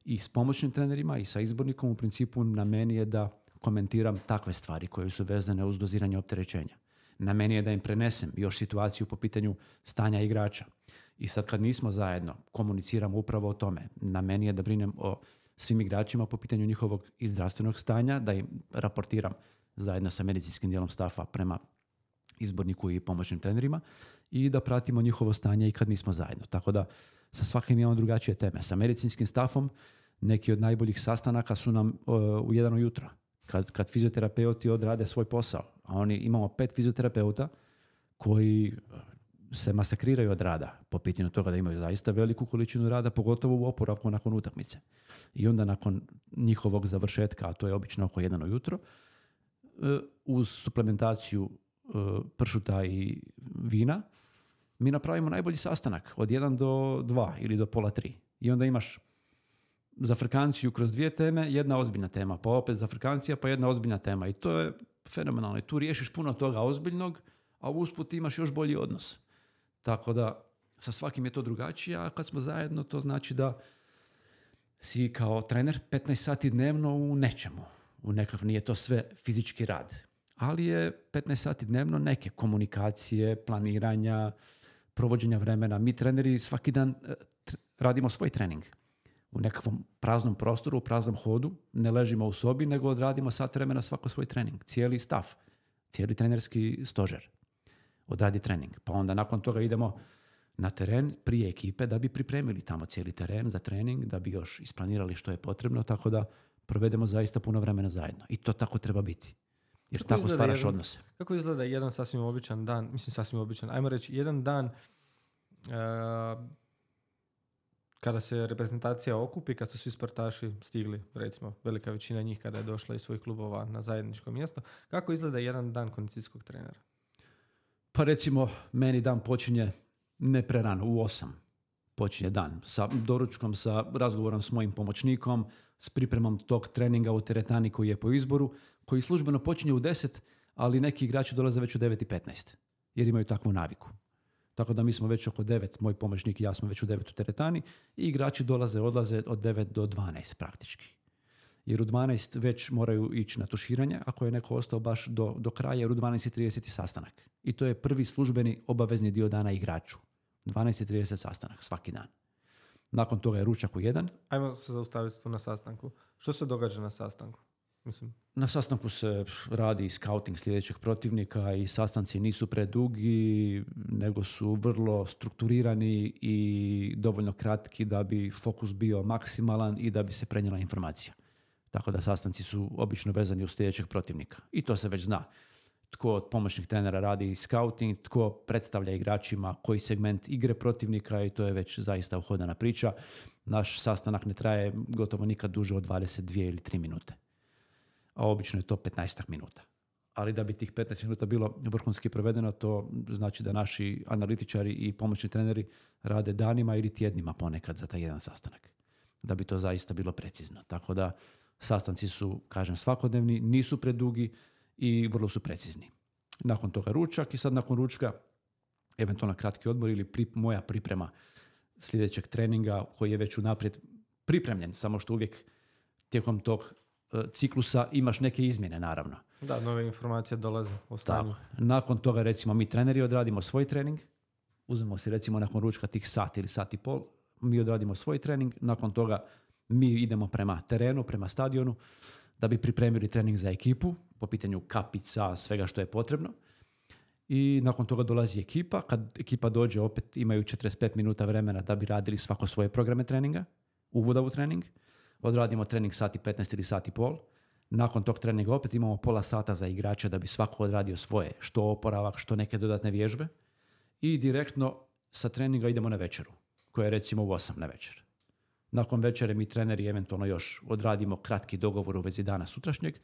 i s pomoćnim trenerima i sa izbornikom u principu na meni je da komentiram takve stvari koje su vezane uz doziranje opterećenja. Na meni je da im prenesem još situaciju po pitanju stanja igrača. I sad kad nismo zajedno, komuniciramo upravo o tome. Na meni je da brinem o svim igračima po pitanju njihovog i zdravstvenog stanja, da im raportiram zajedno sa medicinskim dijelom stafa prema izborniku i pomoćnim trenerima i da pratimo njihovo stanje i kad nismo zajedno. Tako da sa svakim imamo drugačije teme. Sa medicinskim stafom neki od najboljih sastanaka su nam u 1 ujutro. Kad fizioterapeuti odrade svoj posao, a imamo 5 fizioterapeuta koji se masakriraju od rada po pitanju toga da imaju zaista veliku količinu rada, pogotovo u oporavku nakon utakmice. I onda nakon njihovog završetka, a to je obično oko 1 ujutro, uz suplementaciju pršuta i vina, mi napravimo najbolji sastanak od 1 do 2 ili do pola 3. I onda imaš za frkanciju kroz 2 teme, jedna ozbiljna tema, pa opet za frkancija, pa jedna ozbiljna tema. I to je fenomenalno. I tu riješiš puno toga ozbiljnog, a usput imaš još bolji odnos. Tako da sa svakim je to drugačije, a kad smo zajedno to znači da si kao trener 15 sati dnevno u nečemu. Nije to sve fizički rad. Ali je 15 sati dnevno neke komunikacije, planiranja, provođenja vremena. Mi treneri svaki dan radimo svoj trening. U nekakvom praznom prostoru, u praznom hodu, ne ležimo u sobi, nego odradimo sat vremena svako svoj trening. Cijeli staff, cijeli trenerski stožer odradi trening. Pa onda nakon toga idemo na teren prije ekipe da bi pripremili tamo cijeli teren za trening, da bi još isplanirali što je potrebno, tako da provedemo zaista puno vremena zajedno. I to tako treba biti. Jer tako stvaraš odnose. Kako izgleda jedan sasvim običan dan, ajmo reći, jedan dan kada se reprezentacija okupi, kad su svi sportaši stigli, recimo velika većina njih kada je došla iz svojih klubova na zajedničko mjesto, kako izgleda jedan dan kondicijskog trenera? Pa recimo, meni dan počinje ne prerano, u 8 počinje dan. Sa doručkom, sa razgovorom s mojim pomoćnikom, s pripremom tog treninga u teretani koji je po izboru, koji službeno počinje u 10, ali neki igrači dolaze već u 9:15, jer imaju takvu naviku. Tako da mi smo već oko 9, moj pomoćnik i ja smo već u 9 u teretani i igrači odlaze od 9 do 12 praktički. Jer u 12 već moraju ići na tuširanje, ako je neko ostao baš do kraja, jer u 12:30 sastanak. I to je prvi službeni obavezni dio dana igraču. 12:30 sastanak svaki dan. Nakon toga je ručak u 1. Ajmo se zaustaviti tu na sastanku. Što se događa na sastanku? Na sastanku se radi scouting sljedećeg protivnika i sastanci nisu predugi, nego su vrlo strukturirani i dovoljno kratki da bi fokus bio maksimalan i da bi se prenijela informacija. Tako da sastanci su obično vezani uz sljedećeg protivnika. I to se već zna. tko od pomoćnih trenera radi scouting, tko predstavlja igračima koji segment igre protivnika i to je već zaista uhodana priča. Naš sastanak ne traje gotovo nikad duže od 22 ili 3 minute. A obično je to 15 minuta. Ali da bi tih 15 minuta bilo vrhunski provedeno, to znači da naši analitičari i pomoćni treneri rade danima ili tjednima ponekad za taj jedan sastanak. Da bi to zaista bilo precizno. Tako da sastanci su, kažem, svakodnevni, nisu predugi i vrlo su precizni. Nakon toga ručak i sad nakon ručka eventualno kratki odmor ili moja priprema sljedećeg treninga koji je već unaprijed pripremljen, samo što uvijek tijekom tog ciklusa imaš neke izmjene, naravno. Da, nove informacije dolaze o stanju. Tako. Nakon toga, recimo, mi treneri odradimo svoj trening, uzmemo si recimo nakon ručka tih sat ili sat i pol, mi odradimo svoj trening, nakon toga mi idemo prema terenu, prema stadionu, da bi pripremili trening za ekipu, po pitanju kapica, svega što je potrebno. I nakon toga dolazi ekipa, kad ekipa dođe opet imaju 45 minuta vremena da bi radili svako svoje programe treninga, uvoda u trening, odradimo trening sat i 15 ili sat i pol. Nakon tog treninga opet imamo pola sata za igrače da bi svako odradio svoje, što oporavak, što neke dodatne vježbe. I direktno sa treninga idemo na večeru, koja je recimo u 8 na večer. Nakon večere mi treneri eventualno još odradimo kratki dogovor u vezi dana sutrašnjeg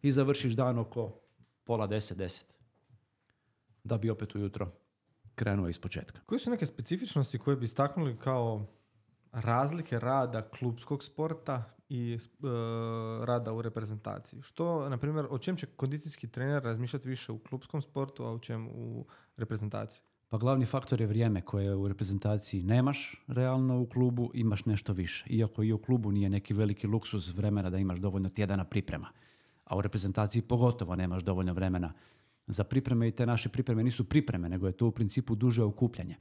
i završiš dan oko pola 10, da bi opet ujutro krenuo iz početka. Koje su neke specifičnosti koje bi istaknuli kao razlike rada klubskog sporta i rada u reprezentaciji? Što, na primjer, o čem će kondicijski trener razmišljati više u klubskom sportu, a o čem u reprezentaciji? Pa glavni faktor je vrijeme koje u reprezentaciji nemaš realno u klubu, imaš nešto više. Iako i u klubu nije neki veliki luksuz vremena da imaš dovoljno tjedana priprema. A u reprezentaciji pogotovo nemaš dovoljno vremena za pripreme i te naše pripreme nisu pripreme, nego je to u principu duže okupljanje.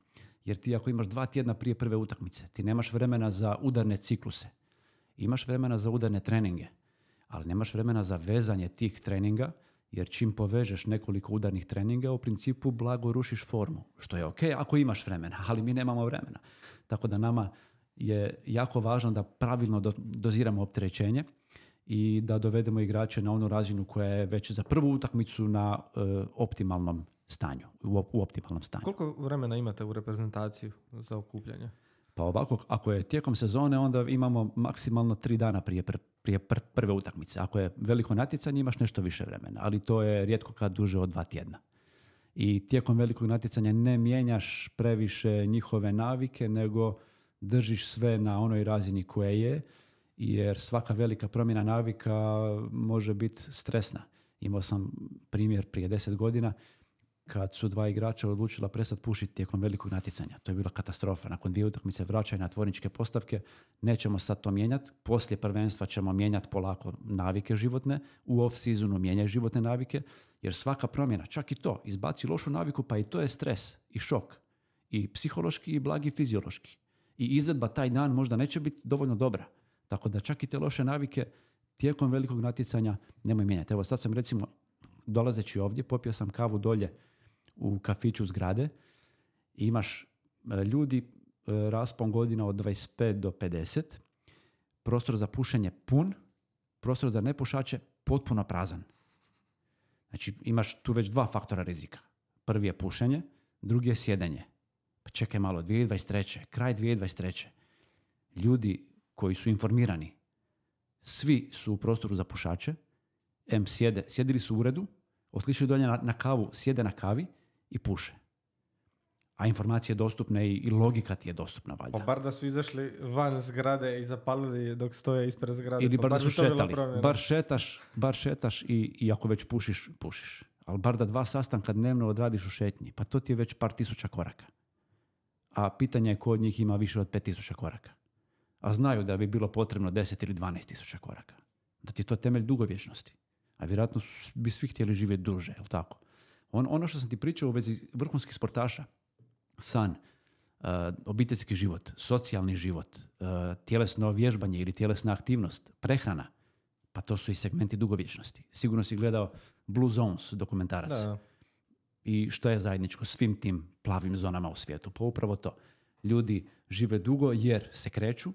Jer ti ako imaš 2 tjedna prije prve utakmice, ti nemaš vremena za udarne cikluse. Imaš vremena za udarne treninge, ali nemaš vremena za vezanje tih treninga, jer čim povežeš nekoliko udarnih treninga, u principu blago rušiš formu, što je ok ako imaš vremena, ali mi nemamo vremena. Tako da nama je jako važno da pravilno doziramo opterećenje i da dovedemo igrače na onu razinu koja je već za prvu utakmicu na optimalnom stanju, u optimalnom stanju. Koliko vremena imate u reprezentaciji za okupljanje? Pa ovako, ako je tijekom sezone, onda imamo maksimalno 3 dana prije prve utakmice. Ako je veliko natjecanje, imaš nešto više vremena, ali to je rijetko kad duže od 2 tjedna. I tijekom velikog natjecanja ne mijenjaš previše njihove navike, nego držiš sve na onoj razini koja je, jer svaka velika promjena navika može biti stresna. Imao sam primjer prije 10 godina kad su 2 igrača odlučila prestati pušiti tijekom velikog natjecanja. To je bila katastrofa. Nakon 2 utakmice vraćaju na tvorničke postavke. Nećemo sad to mijenjati. Poslije prvenstva ćemo mijenjati polako navike životne. U off-seasonu mijenjaj životne navike, jer svaka promjena, čak i to, izbaci lošu naviku, pa i to je stres i šok. I psihološki i blagi fiziološki. I izvedba taj dan možda neće biti dovoljno dobra. Tako da čak i te loše navike tijekom velikog natjecanja nemoj mijenjati. Evo sad sam recimo, dolazeći ovdje, popio sam kavu dolje u kafiću zgrade i imaš ljudi raspon godina od 25 do 50, prostor za pušenje pun, prostor za nepušače potpuno prazan. Znači imaš tu već 2 faktora rizika. Prvi je pušenje, drugi je sjedenje. Pa čekaj malo, 2023. Kraj 2023. Ljudi koji su informirani, svi su u prostoru za pušače, sjedili su u uredu, otišli dolje na kavu, sjede na kavi i puše. A informacije dostupne i logika ti je dostupna, valjda. Pa bar da su izašli van zgrade i zapalili dok stoje ispred zgrade. Ili bar da su šetali. Bar šetaš i ako već pušiš. Ali bar da 2 sastanka dnevno odradiš u šetnji. Pa to ti je već par tisuća koraka. A pitanje je ko od njih ima više od 5000 koraka. A znaju da bi bilo potrebno 10 ili 12 000 koraka. Da ti je to temelj dugovječnosti. A vjerojatno bi svi htjeli živjeti duže, je li tako? Ono što sam ti pričao u vezi vrhunskih sportaša, san, obiteljski život, socijalni život, tjelesno vježbanje ili tjelesna aktivnost, prehrana, pa to su i segmenti dugovječnosti. Sigurno si gledao Blue Zones dokumentarac. Da. I što je zajedničko svim tim plavim zonama u svijetu? Pa upravo to. Ljudi žive dugo jer se kreću,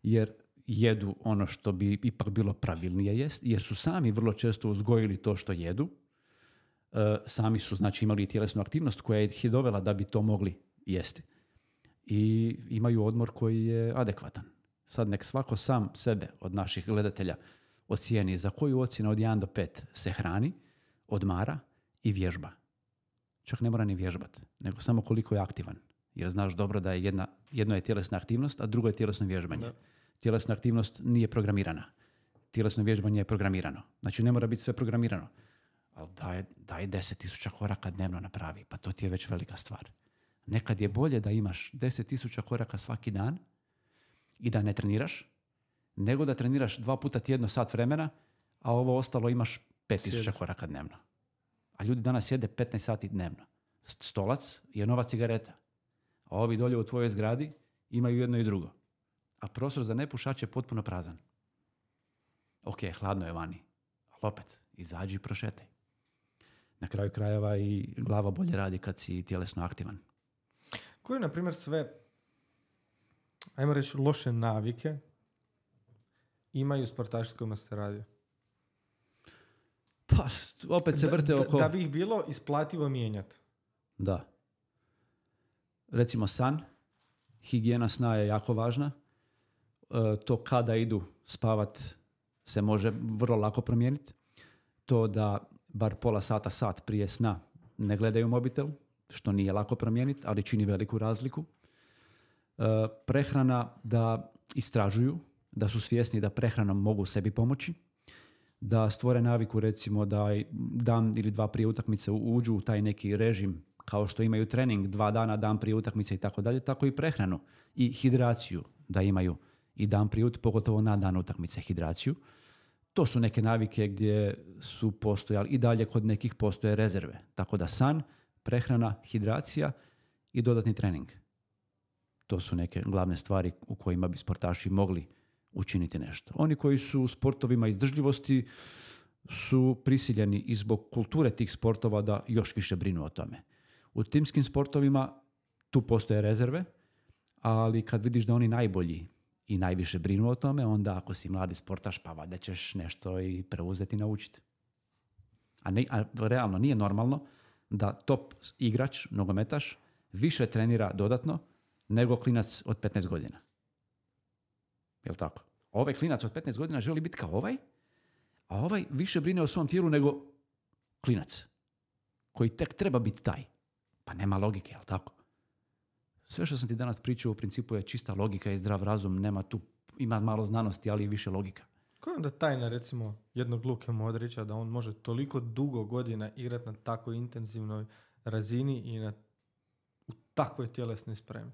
jer jedu ono što bi ipak bilo pravilnije jest, jer su sami vrlo često uzgojili to što jedu. sami su znači imali tjelesnu aktivnost koja ih je dovela da bi to mogli jesti. I imaju odmor koji je adekvatan. Sad nek svako sam sebe od naših gledatelja ocijeni za koju ocjenu od 1 do 5 se hrani, odmara i vježba. Čak ne mora ni vježbati, nego samo koliko je aktivan. Jer znaš dobro da je jedno je tjelesna aktivnost, a drugo je tjelesno vježbanje. Da. Tjelesna aktivnost nije programirana. Tjelesno vježbanje je programirano. Znači ne mora biti sve programirano. Ali daj 10.000 koraka dnevno napravi, pa to ti je već velika stvar. Nekad je bolje da imaš 10.000 koraka svaki dan i da ne treniraš, nego da treniraš 2 puta tjedno sat vremena, a ovo ostalo imaš 5.000 koraka dnevno. A ljudi danas jede 15 sati dnevno. Stolac je nova cigareta. A ovi dolje u tvojoj zgradi imaju jedno i drugo. A prostor za nepušače je potpuno prazan. Ok, hladno je vani. Ali opet, izađi i prošetaj. Na kraju krajeva i glava bolje radi kad si tjelesno aktivan. Koje, na primjer, sve, ajmo reći, loše navike imaju sportaši s kojima ste radio? Pa, opet se vrte oko... Da bi ih bilo isplativo mijenjati. Da. Recimo san, higijena sna je jako važna. To kada idu spavat se može vrlo lako promijeniti. To da bar pola sata, sat prije sna ne gledaju mobitel, što nije lako promijeniti, ali čini veliku razliku. Prehrana da istražuju, da su svjesni da prehranom mogu sebi pomoći, da stvore naviku recimo da dan ili 2 prije utakmice uđu u taj neki režim kao što imaju trening 2 dana, dan prije utakmice i tako dalje, tako i prehranu i hidraciju da imaju i dan prije, pogotovo na dan utakmice hidraciju. To su neke navike gdje su postojali i dalje kod nekih postoje rezerve. Tako da san, prehrana, hidracija i dodatni trening. To su neke glavne stvari u kojima bi sportaši mogli učiniti nešto. Oni koji su u sportovima izdržljivosti su prisiljeni i zbog kulture tih sportova da još više brinu o tome. U timskim sportovima tu postoje rezerve, ali kad vidiš da oni najbolji i najviše brinu o tome, onda ako si mladi sportaš, pa valjda ćeš nešto i preuzeti i naučiti. A realno nije normalno da top igrač, nogometaš, više trenira dodatno nego klinac od 15 godina. Jel' tako? Ovaj klinac od 15 godina želi biti kao ovaj, a ovaj više brine o svom tijelu nego klinac, koji tek treba biti taj. Pa nema logike, jel' tako? Sve što sam ti danas pričao u principu je čista logika i zdrav razum, nema tu, ima malo znanosti, ali i više logika. Koja je onda tajna, recimo, jednog Luke Modrića da on može toliko dugo godina igrati na tako intenzivnoj razini i u takvoj tjelesnoj spremi?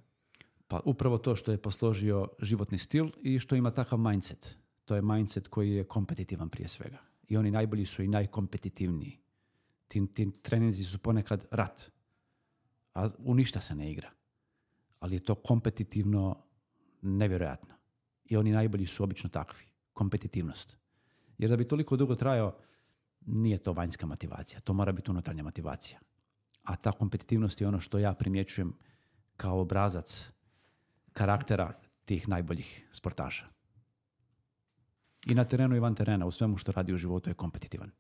Pa upravo to što je posložio životni stil i što ima takav mindset. To je mindset koji je kompetitivan prije svega. I oni najbolji su i najkompetitivniji. Ti treninzi su ponekad rat, a u ništa se ne igra. Ali je to kompetitivno nevjerojatno. I oni najbolji su obično takvi. Kompetitivnost. Jer da bi toliko dugo trajao, nije to vanjska motivacija. To mora biti unutarnja motivacija. A ta kompetitivnost je ono što ja primjećujem kao obrazac karaktera tih najboljih sportaša. I na terenu i van terena, u svemu što radi u životu je kompetitivan.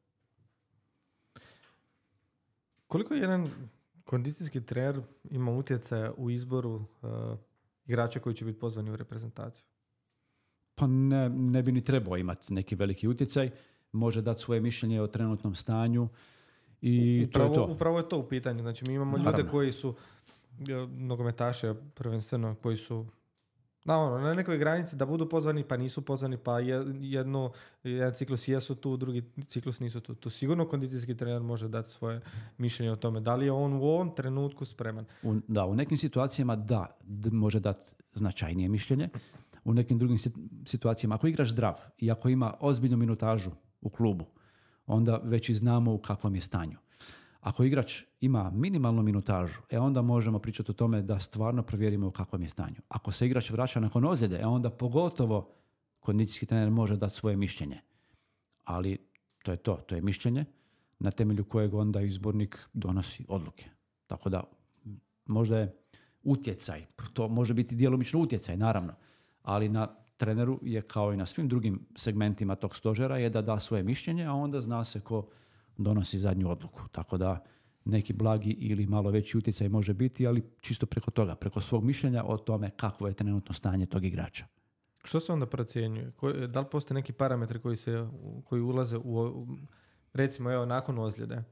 Koliko jedan kondicijski trener ima utjecaja u izboru igrača koji će biti pozvani u reprezentaciju? Pa ne bi ni trebao imati neki veliki utjecaj. Može dati svoje mišljenje o trenutnom stanju i to je to. Upravo je to u pitanju. Znači mi imamo ljude koji su nogometaše prvenstveno koji su na nekoj granici da budu pozvani pa nisu pozvani, pa jedan ciklus jesu tu, drugi ciklus nisu tu. Tu sigurno kondicijski trener može dati svoje mišljenje o tome. Da li je on u ovom trenutku spreman? U nekim situacijama može dati značajnije mišljenje. U nekim drugim situacijama, ako igraš zdrav i ako ima ozbiljnu minutažu u klubu, onda već i znamo u kakvom je stanju. Ako igrač ima minimalnu minutažu, onda možemo pričati o tome da stvarno provjerimo u kakvom je stanju. Ako se igrač vraća nakon ozljede, onda pogotovo kondicijski trener može dati svoje mišljenje. Ali to je mišljenje na temelju kojeg onda izbornik donosi odluke. Tako da možda je utjecaj, to može biti djelomično utjecaj, naravno, ali na treneru je kao i na svim drugim segmentima tog stožera je da da svoje mišljenje, a onda zna se ko donosi zadnju odluku. Tako da neki blagi ili malo veći utjecaj može biti, ali čisto preko toga, preko svog mišljenja o tome kakvo je trenutno stanje tog igrača. Što se onda procjenjuje? Da li postoje neki parametri koji ulaze recimo evo nakon ozljede?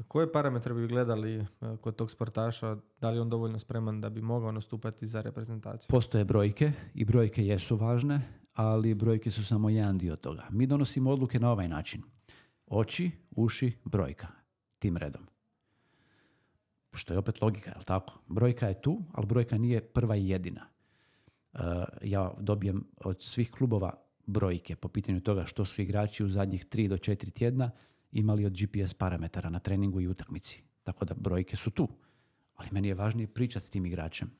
Koje parametre bi gledali kod tog sportaša? Da li je on dovoljno spreman da bi mogao nastupati za reprezentaciju? Postoje brojke i brojke jesu važne, ali brojke su samo jedan dio toga. Mi donosimo odluke na ovaj način. Oči, uši, brojka. Tim redom. Što je opet logika, je li tako? Brojka je tu, ali brojka nije prva i jedina. Ja dobijem od svih klubova brojke po pitanju toga što su igrači u zadnjih 3 do 4 tjedna imali od GPS parametara na treningu i utakmici. Tako da brojke su tu. Ali meni je važnije pričati s tim igračem.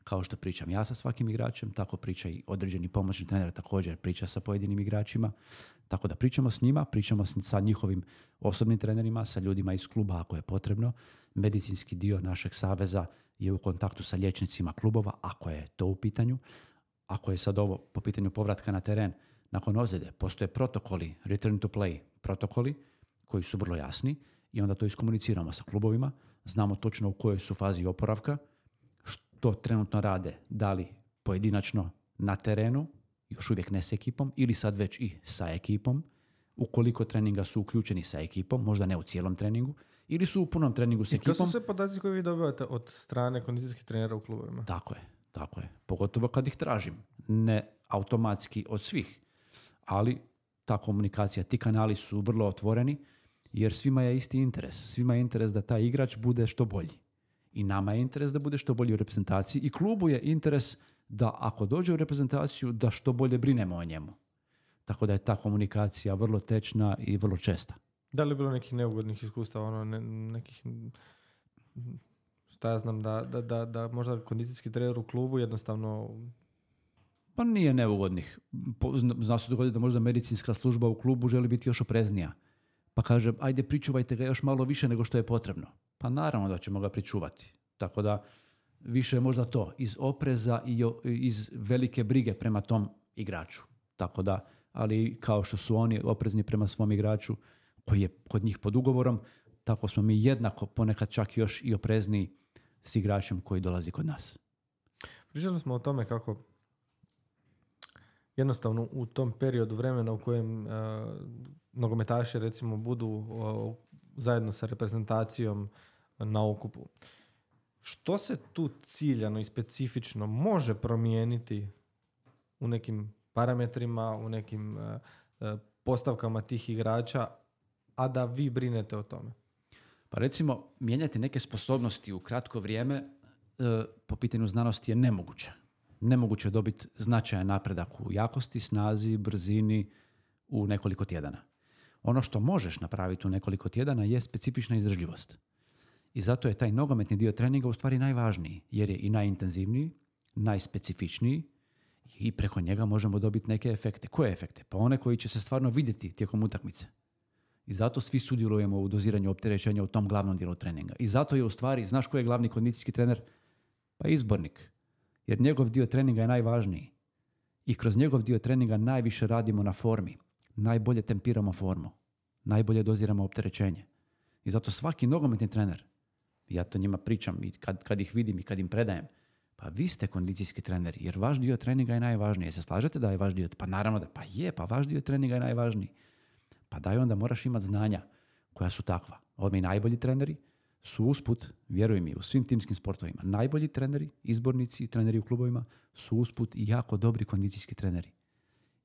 Kao što pričam ja sa svakim igračem, tako priča i određeni pomoćni trener također priča sa pojedinim igračima. Tako da pričamo s njima, pričamo sa njihovim osobnim trenerima, sa ljudima iz kluba ako je potrebno. Medicinski dio našeg saveza je u kontaktu sa liječnicima klubova, ako je to u pitanju. Ako je sad ovo po pitanju povratka na teren nakon ozljede, postoje protokoli, return to play protokoli, koji su vrlo jasni i onda to iskomuniciramo sa klubovima. Znamo točno u kojoj su fazi oporavka, što trenutno rade, da li pojedinačno na terenu, još uvijek ne s ekipom, ili sad već i sa ekipom, ukoliko treninga su uključeni sa ekipom, možda ne u cijelom treningu, ili su u punom treningu s ekipom. I to su sve podaci koje vi dobivate od strane kondicijskih trenera u klubovima? Tako je. Pogotovo kad ih tražim. Ne automatski od svih, ali ta komunikacija, ti kanali su vrlo otvoreni, jer svima je isti interes. Svima je interes da taj igrač bude što bolji. I nama je interes da bude što bolji u reprezentaciji i klubu je interes da ako dođe u reprezentaciju da što bolje brinemo o njemu. Tako da je ta komunikacija vrlo tečna i vrlo česta. Da li je bilo nekih neugodnih iskustava, nekih, šta ja znam, da možda kondicijski trener u klubu jednostavno... Pa nije neugodnih. Zna se dogoditi da možda medicinska služba u klubu želi biti još opreznija. Pa kaže, ajde pričuvajte ga još malo više nego što je potrebno. Pa naravno da ćemo ga pričuvati. Tako da više je možda to iz opreza i iz velike brige prema tom igraču. Tako da, ali kao što su oni oprezni prema svom igraču koji je kod njih pod ugovorom, tako smo mi jednako ponekad čak još i oprezniji s igračem koji dolazi kod nas. Pričali smo o tome kako jednostavno u tom periodu vremena u kojem nogometaši recimo budu zajedno sa reprezentacijom na okupu. Što se tu ciljano i specifično može promijeniti u nekim parametrima, u nekim postavkama tih igrača, a da vi brinete o tome? Pa recimo, mijenjati neke sposobnosti u kratko vrijeme po pitanju znanosti je nemoguće. Nemoguće je dobiti značajan napredak u jakosti, snazi, brzini u nekoliko tjedana. Ono što možeš napraviti u nekoliko tjedana je specifična izdržljivost. I zato je taj nogometni dio treninga u stvari najvažniji, jer je i najintenzivniji, najspecifičniji i preko njega možemo dobiti neke efekte. Koje efekte? Pa one koji će se stvarno vidjeti tijekom utakmice. I zato svi sudjelujemo u doziranju opterećenja u tom glavnom dijelu treninga. I zato je u stvari, znaš ko je glavni kondicijski trener? Pa izbornik. Jer njegov dio treninga je najvažniji. I kroz njegov dio treninga najviše radimo na formi. Najbolje tempiramo formu. Najbolje doziramo opterećenje. I zato svaki nogometni trener, ja to njima pričam i kad ih vidim i kad im predajem, pa vi ste kondicijski trener, jer vaš dio treninga je najvažniji. Jel se slažete da je vaš dio? Pa naravno da, pa vaš dio treninga je najvažniji. Pa daj onda moraš imati znanja koja su takva. Ovi najbolji treneri su usput, vjeruj mi, u svim timskim sportovima, najbolji treneri, izbornici i treneri u klubovima su usput i jako dobri kondicijski treneri.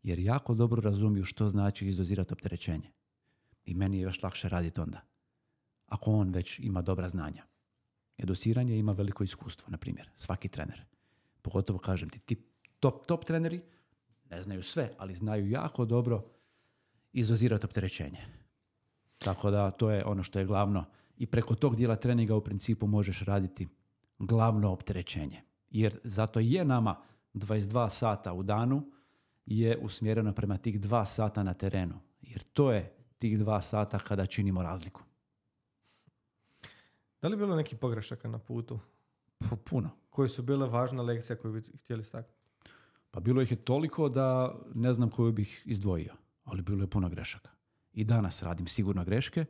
Jer jako dobro razumiju što znači izdozirati opterećenje. I meni je još lakše raditi onda. Ako on već ima dobra znanja. Educiranje ima veliko iskustvo, na primjer, svaki trener. Pogotovo, kažem ti top treneri ne znaju sve, ali znaju jako dobro izdozirati opterećenje. Tako da to je ono što je glavno. I preko tog dijela treninga u principu možeš raditi glavno opterećenje. Jer zato je nama 22 sata u danu je usmjereno prema tih 2 sata na terenu. Jer to je tih 2 sata kada činimo razliku. Da li je bilo nekih pogrešaka na putu? Puno. Koje su bile važna lekcija koju bi htjeli staknuti? Pa bilo ih je toliko da ne znam koju bih izdvojio. Ali bilo je puno grešaka. I danas radim sigurno greške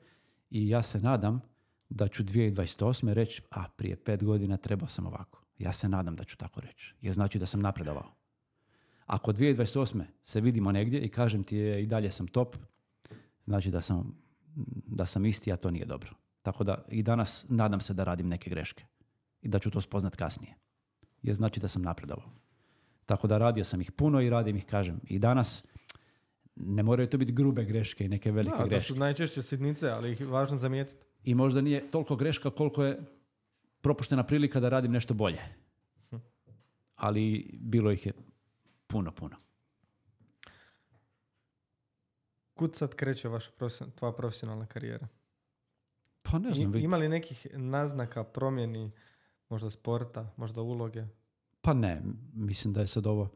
I ja se nadam da ću 2028. reći, prije 5 godina trebao sam ovako. Ja se nadam da ću tako reći, jer znači da sam napredovao. Ako 2028. se vidimo negdje i kažem ti i dalje sam top, znači da sam isti, a to nije dobro. Tako da i danas nadam se da radim neke greške i da ću to spoznat kasnije. Jer znači da sam napredovao. Tako da radio sam ih puno i radim ih, kažem, i danas. Ne moraju to biti grube greške i neke velike greške. To su najčešće sitnice, ali ih je važno zamijetiti. I možda nije toliko greška koliko je propuštena prilika da radim nešto bolje. Ali bilo ih je puno. Kud sad kreće tvoja profesionalna karijera? Pa ne znam. Ima li nekih naznaka promjeni, možda sporta, možda uloge? Pa ne, mislim da je sad ovo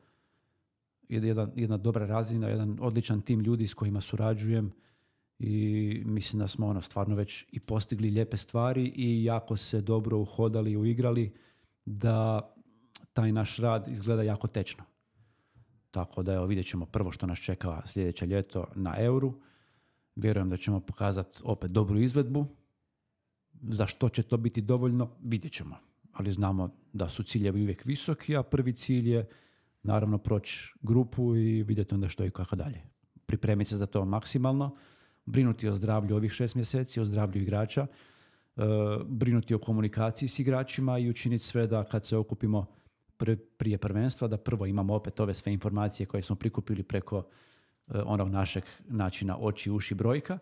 jedna dobra razina, jedan odličan tim ljudi s kojima surađujem i mislim da smo stvarno već i postigli lijepe stvari i jako se dobro uhodali i uigrali da taj naš rad izgleda jako tečno. Tako da vidjet ćemo prvo što nas čeka sljedeće ljeto na Euru. Vjerujem da ćemo pokazati opet dobru izvedbu. Za što će to biti dovoljno, vidjet ćemo. Ali znamo da su ciljevi uvijek visoki, a prvi cilj je naravno proći grupu i vidjeti onda što i kako dalje. Pripremiti se za to maksimalno, brinuti o zdravlju ovih 6 mjeseci, o zdravlju igrača, brinuti o komunikaciji s igračima i učiniti sve da kad se okupimo prije prvenstva, da prvo imamo opet ove sve informacije koje smo prikupili preko onog našeg načina oči, uši, brojka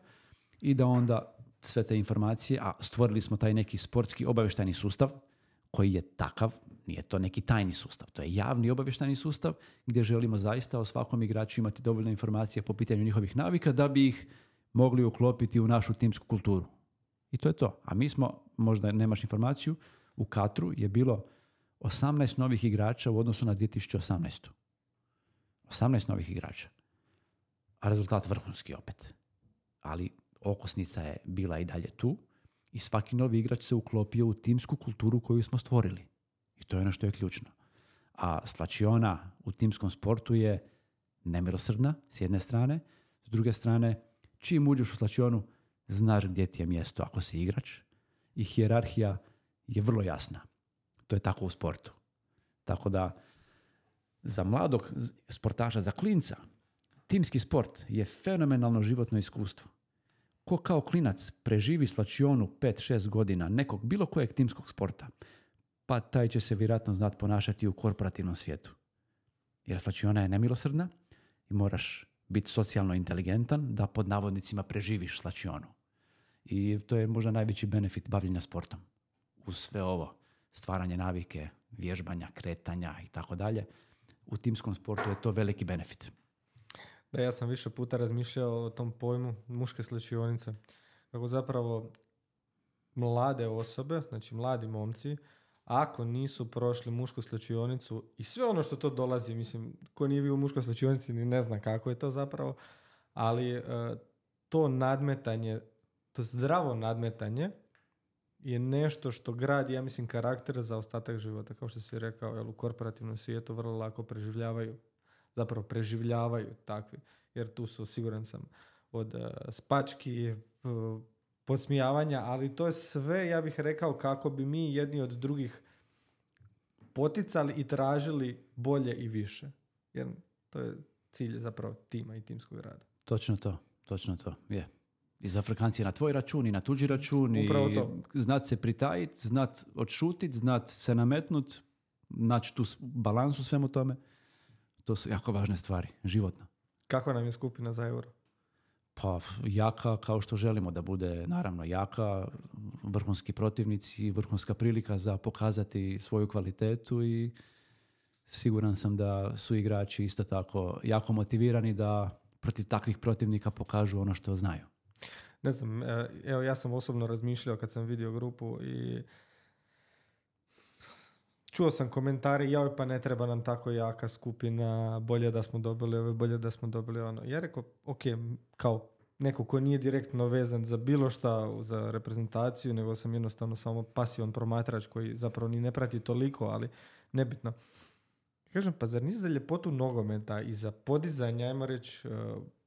i da onda sve te informacije, a stvorili smo taj neki sportski obavještajni sustav koji je takav, nije to neki tajni sustav, to je javni obavještajni sustav gdje želimo zaista o svakom igraču imati dovoljno informacija po pitanju njihovih navika da bi ih mogli uklopiti u našu timsku kulturu. I to je to. A mi smo, možda nemaš informaciju, u Katru je bilo 18 novih igrača u odnosu na 2018. 18 novih igrača. A rezultat vrhunski opet. Ali okosnica je bila i dalje tu i svaki novi igrač se uklopio u timsku kulturu koju smo stvorili. I to je ono što je ključno. A slačiona u timskom sportu je nemilosrdna s jedne strane, s druge strane čim uđeš u slačionu znaš gdje ti je mjesto ako si igrač i hijerarhija je vrlo jasna. To je tako u sportu. Tako da za mladog sportaša, za klinca, timski sport je fenomenalno životno iskustvo. Ko kao klinac preživi slačionu 5-6 godina nekog bilo kojeg timskog sporta, pa taj će se vjerojatno znati ponašati u korporativnom svijetu. Jer slačiona je nemilosrdna i moraš biti socijalno inteligentan da pod navodnicima preživiš slačionu. I to je možda najveći benefit bavljenja sportom. Uz sve ovo, stvaranje navike, vježbanja, kretanja i tako dalje, u timskom sportu je to veliki benefit. Da, ja sam više puta razmišljao o tom pojmu muške slačionice. Kako zapravo mlade osobe, znači mladi momci, ako nisu prošli mušku slačionicu i sve ono što to dolazi, mislim, ko nije bio u muškoj slačionici ni ne zna kako je to zapravo, ali to nadmetanje, to zdravo nadmetanje je nešto što gradi, ja mislim, karakter za ostatak života. Kao što si rekao, jel, u korporativnom svijetu vrlo lako preživljavaju takvi. Jer tu su, siguran sam, od spački, podsmijavanja, ali to je sve, ja bih rekao, kako bi mi jedni od drugih poticali i tražili bolje i više. Jer to je cilj zapravo tima i timskog rada. Točno to, je. I za Afrikanci na tvoj račun i na tuđi račun i znat se pritajiti, znat odšutit, znat se nametnut, naći tu balans u svemu tome. To su jako važne stvari, životno. Kako nam je skupina za Euro? Pa jaka kao što želimo da bude, naravno jaka, vrhunski protivnici, vrhunska prilika za pokazati svoju kvalitetu i siguran sam da su igrači isto tako jako motivirani da protiv takvih protivnika pokažu ono što znaju. Ne znam, evo ja sam osobno razmišljao kad sam vidio grupu i čuo sam komentari, joj pa ne treba nam tako jaka skupina, bolje da smo dobili ovo, bolje da smo dobili ono. Ja rekao, ok, kao neko ko nije direktno vezan za bilo šta, za reprezentaciju, nego sam jednostavno samo pasivan promatrač koji zapravo ni ne prati toliko, ali nebitno. Kažem, pa zar nisi za ljepotu nogometa i za podizanje, ajmo reći,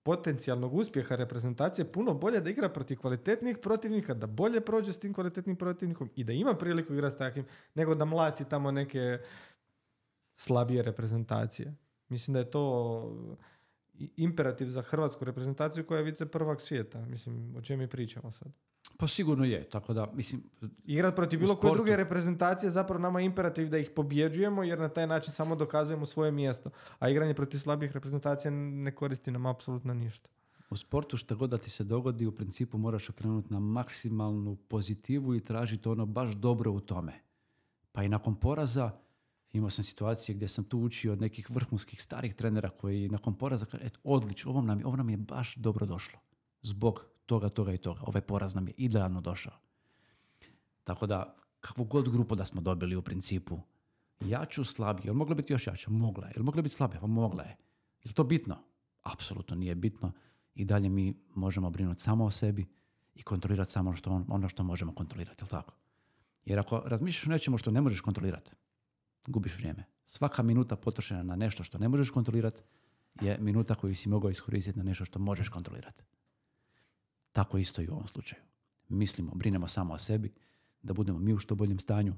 potencijalnog uspjeha reprezentacije puno bolje da igra protiv kvalitetnih protivnika, da bolje prođe s tim kvalitetnim protivnikom i da ima priliku igrati s takvim, nego da mlati tamo neke slabije reprezentacije. Mislim da je to imperativ za hrvatsku reprezentaciju koja je vice prvak svijeta. Mislim, o čem mi pričamo sad? Pa sigurno je, tako da, mislim... Igrat protiv bilo koje druge reprezentacije zapravo nama je imperativ da ih pobjeđujemo, jer na taj način samo dokazujemo svoje mjesto. A igranje protiv slabih reprezentacija ne koristi nam apsolutno ništa. U sportu što god da ti se dogodi, u principu moraš okrenuti na maksimalnu pozitivu i tražiti ono baš dobro u tome. Pa i nakon poraza, imao sam situacije gdje sam tu učio od nekih vrhunskih starih trenera koji nakon poraza kaže, odlično, ovo nam je baš dobro došlo. Zbog toga i toga. Ovaj poraz nam je idealno došao. Tako da, kakvu god grupu da smo dobili u principu, jaču, slabiju, jel mogla biti još jača? Mogla je. Jel mogla biti slabija? Pa mogla je. Je to bitno? Apsolutno nije bitno. I dalje mi možemo brinuti samo o sebi i kontrolirati samo ono što možemo kontrolirati, jel tako? Jer ako razmišljaš o nečemu što ne možeš kontrolirati, gubiš vrijeme. Svaka minuta potrošena na nešto što ne možeš kontrolirati je minuta koju si mogao iskoristiti na nešto što možeš kontrolirati. Tako isto i u ovom slučaju. Mislimo, brinemo samo o sebi, da budemo mi u što boljem stanju,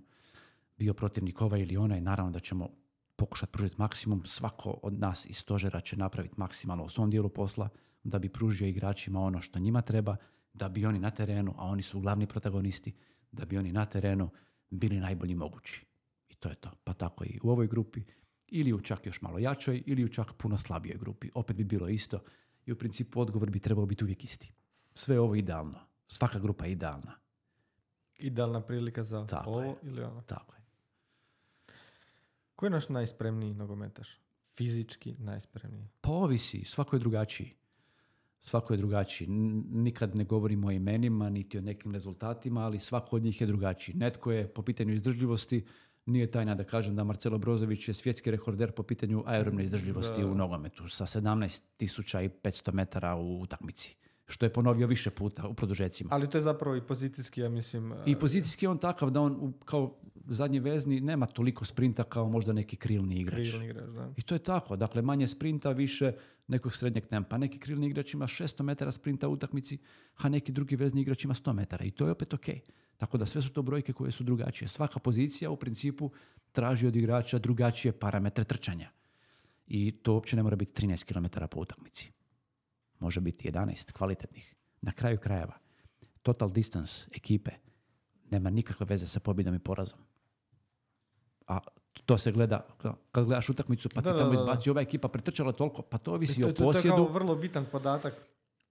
bio protivnik ovaj ili onaj, naravno da ćemo pokušati pružiti maksimum. Svako od nas iz stožera će napraviti maksimalno u svom dijelu posla da bi pružio igračima ono što njima treba, da bi oni na terenu, a oni su glavni protagonisti, da bi oni na terenu bili najbolji mogući. I to je to. Pa tako i u ovoj grupi, ili u čak još malo jačoj, ili u čak puno slabijoj grupi. Opet bi bilo isto i u principu odgovor bi trebao biti uvijek isti. Sve je ovo idealno. Svaka grupa je idealna. Idealna prilika za tako ovo je. ili ono. Tako je. Ko je naš najspremniji nogometaš? Fizički najspremniji? Pa ovisi. Svako je drugačiji. Svako je drugačiji. Nikad ne govorimo o imenima, niti o nekim rezultatima, ali svako od njih je drugačiji. Netko je po pitanju izdržljivosti, nije tajna da kažem da Marcelo Brozović je svjetski rekorder po pitanju aerobne izdržljivosti u nogometu sa 17.500 metara u utakmici. Što je ponovio više puta u produžecima. Ali to je zapravo i pozicijski, ja mislim... I pozicijski je on takav da on kao zadnji vezni nema toliko sprinta kao možda neki krilni igrač. Da. I to je tako. Dakle, manje sprinta, više nekog srednjeg tempa. Neki krilni igrač ima 600 metara sprinta u utakmici, a neki drugi vezni igrač ima 100 metara. I to je opet ok. Tako da sve su to brojke koje su drugačije. Svaka pozicija u principu traži od igrača drugačije parametre trčanja. I to uopće ne mora biti 13 km po utakmici. Može biti 11 kvalitetnih. Na kraju krajeva, total distance ekipe nema nikakve veze sa pobjedom i porazom. A to se gleda, kad gledaš utakmicu, pa ti tamo izbaci ova ekipa pretrčala toliko, pa to ovisi o posjedu. To je kao vrlo bitan podatak.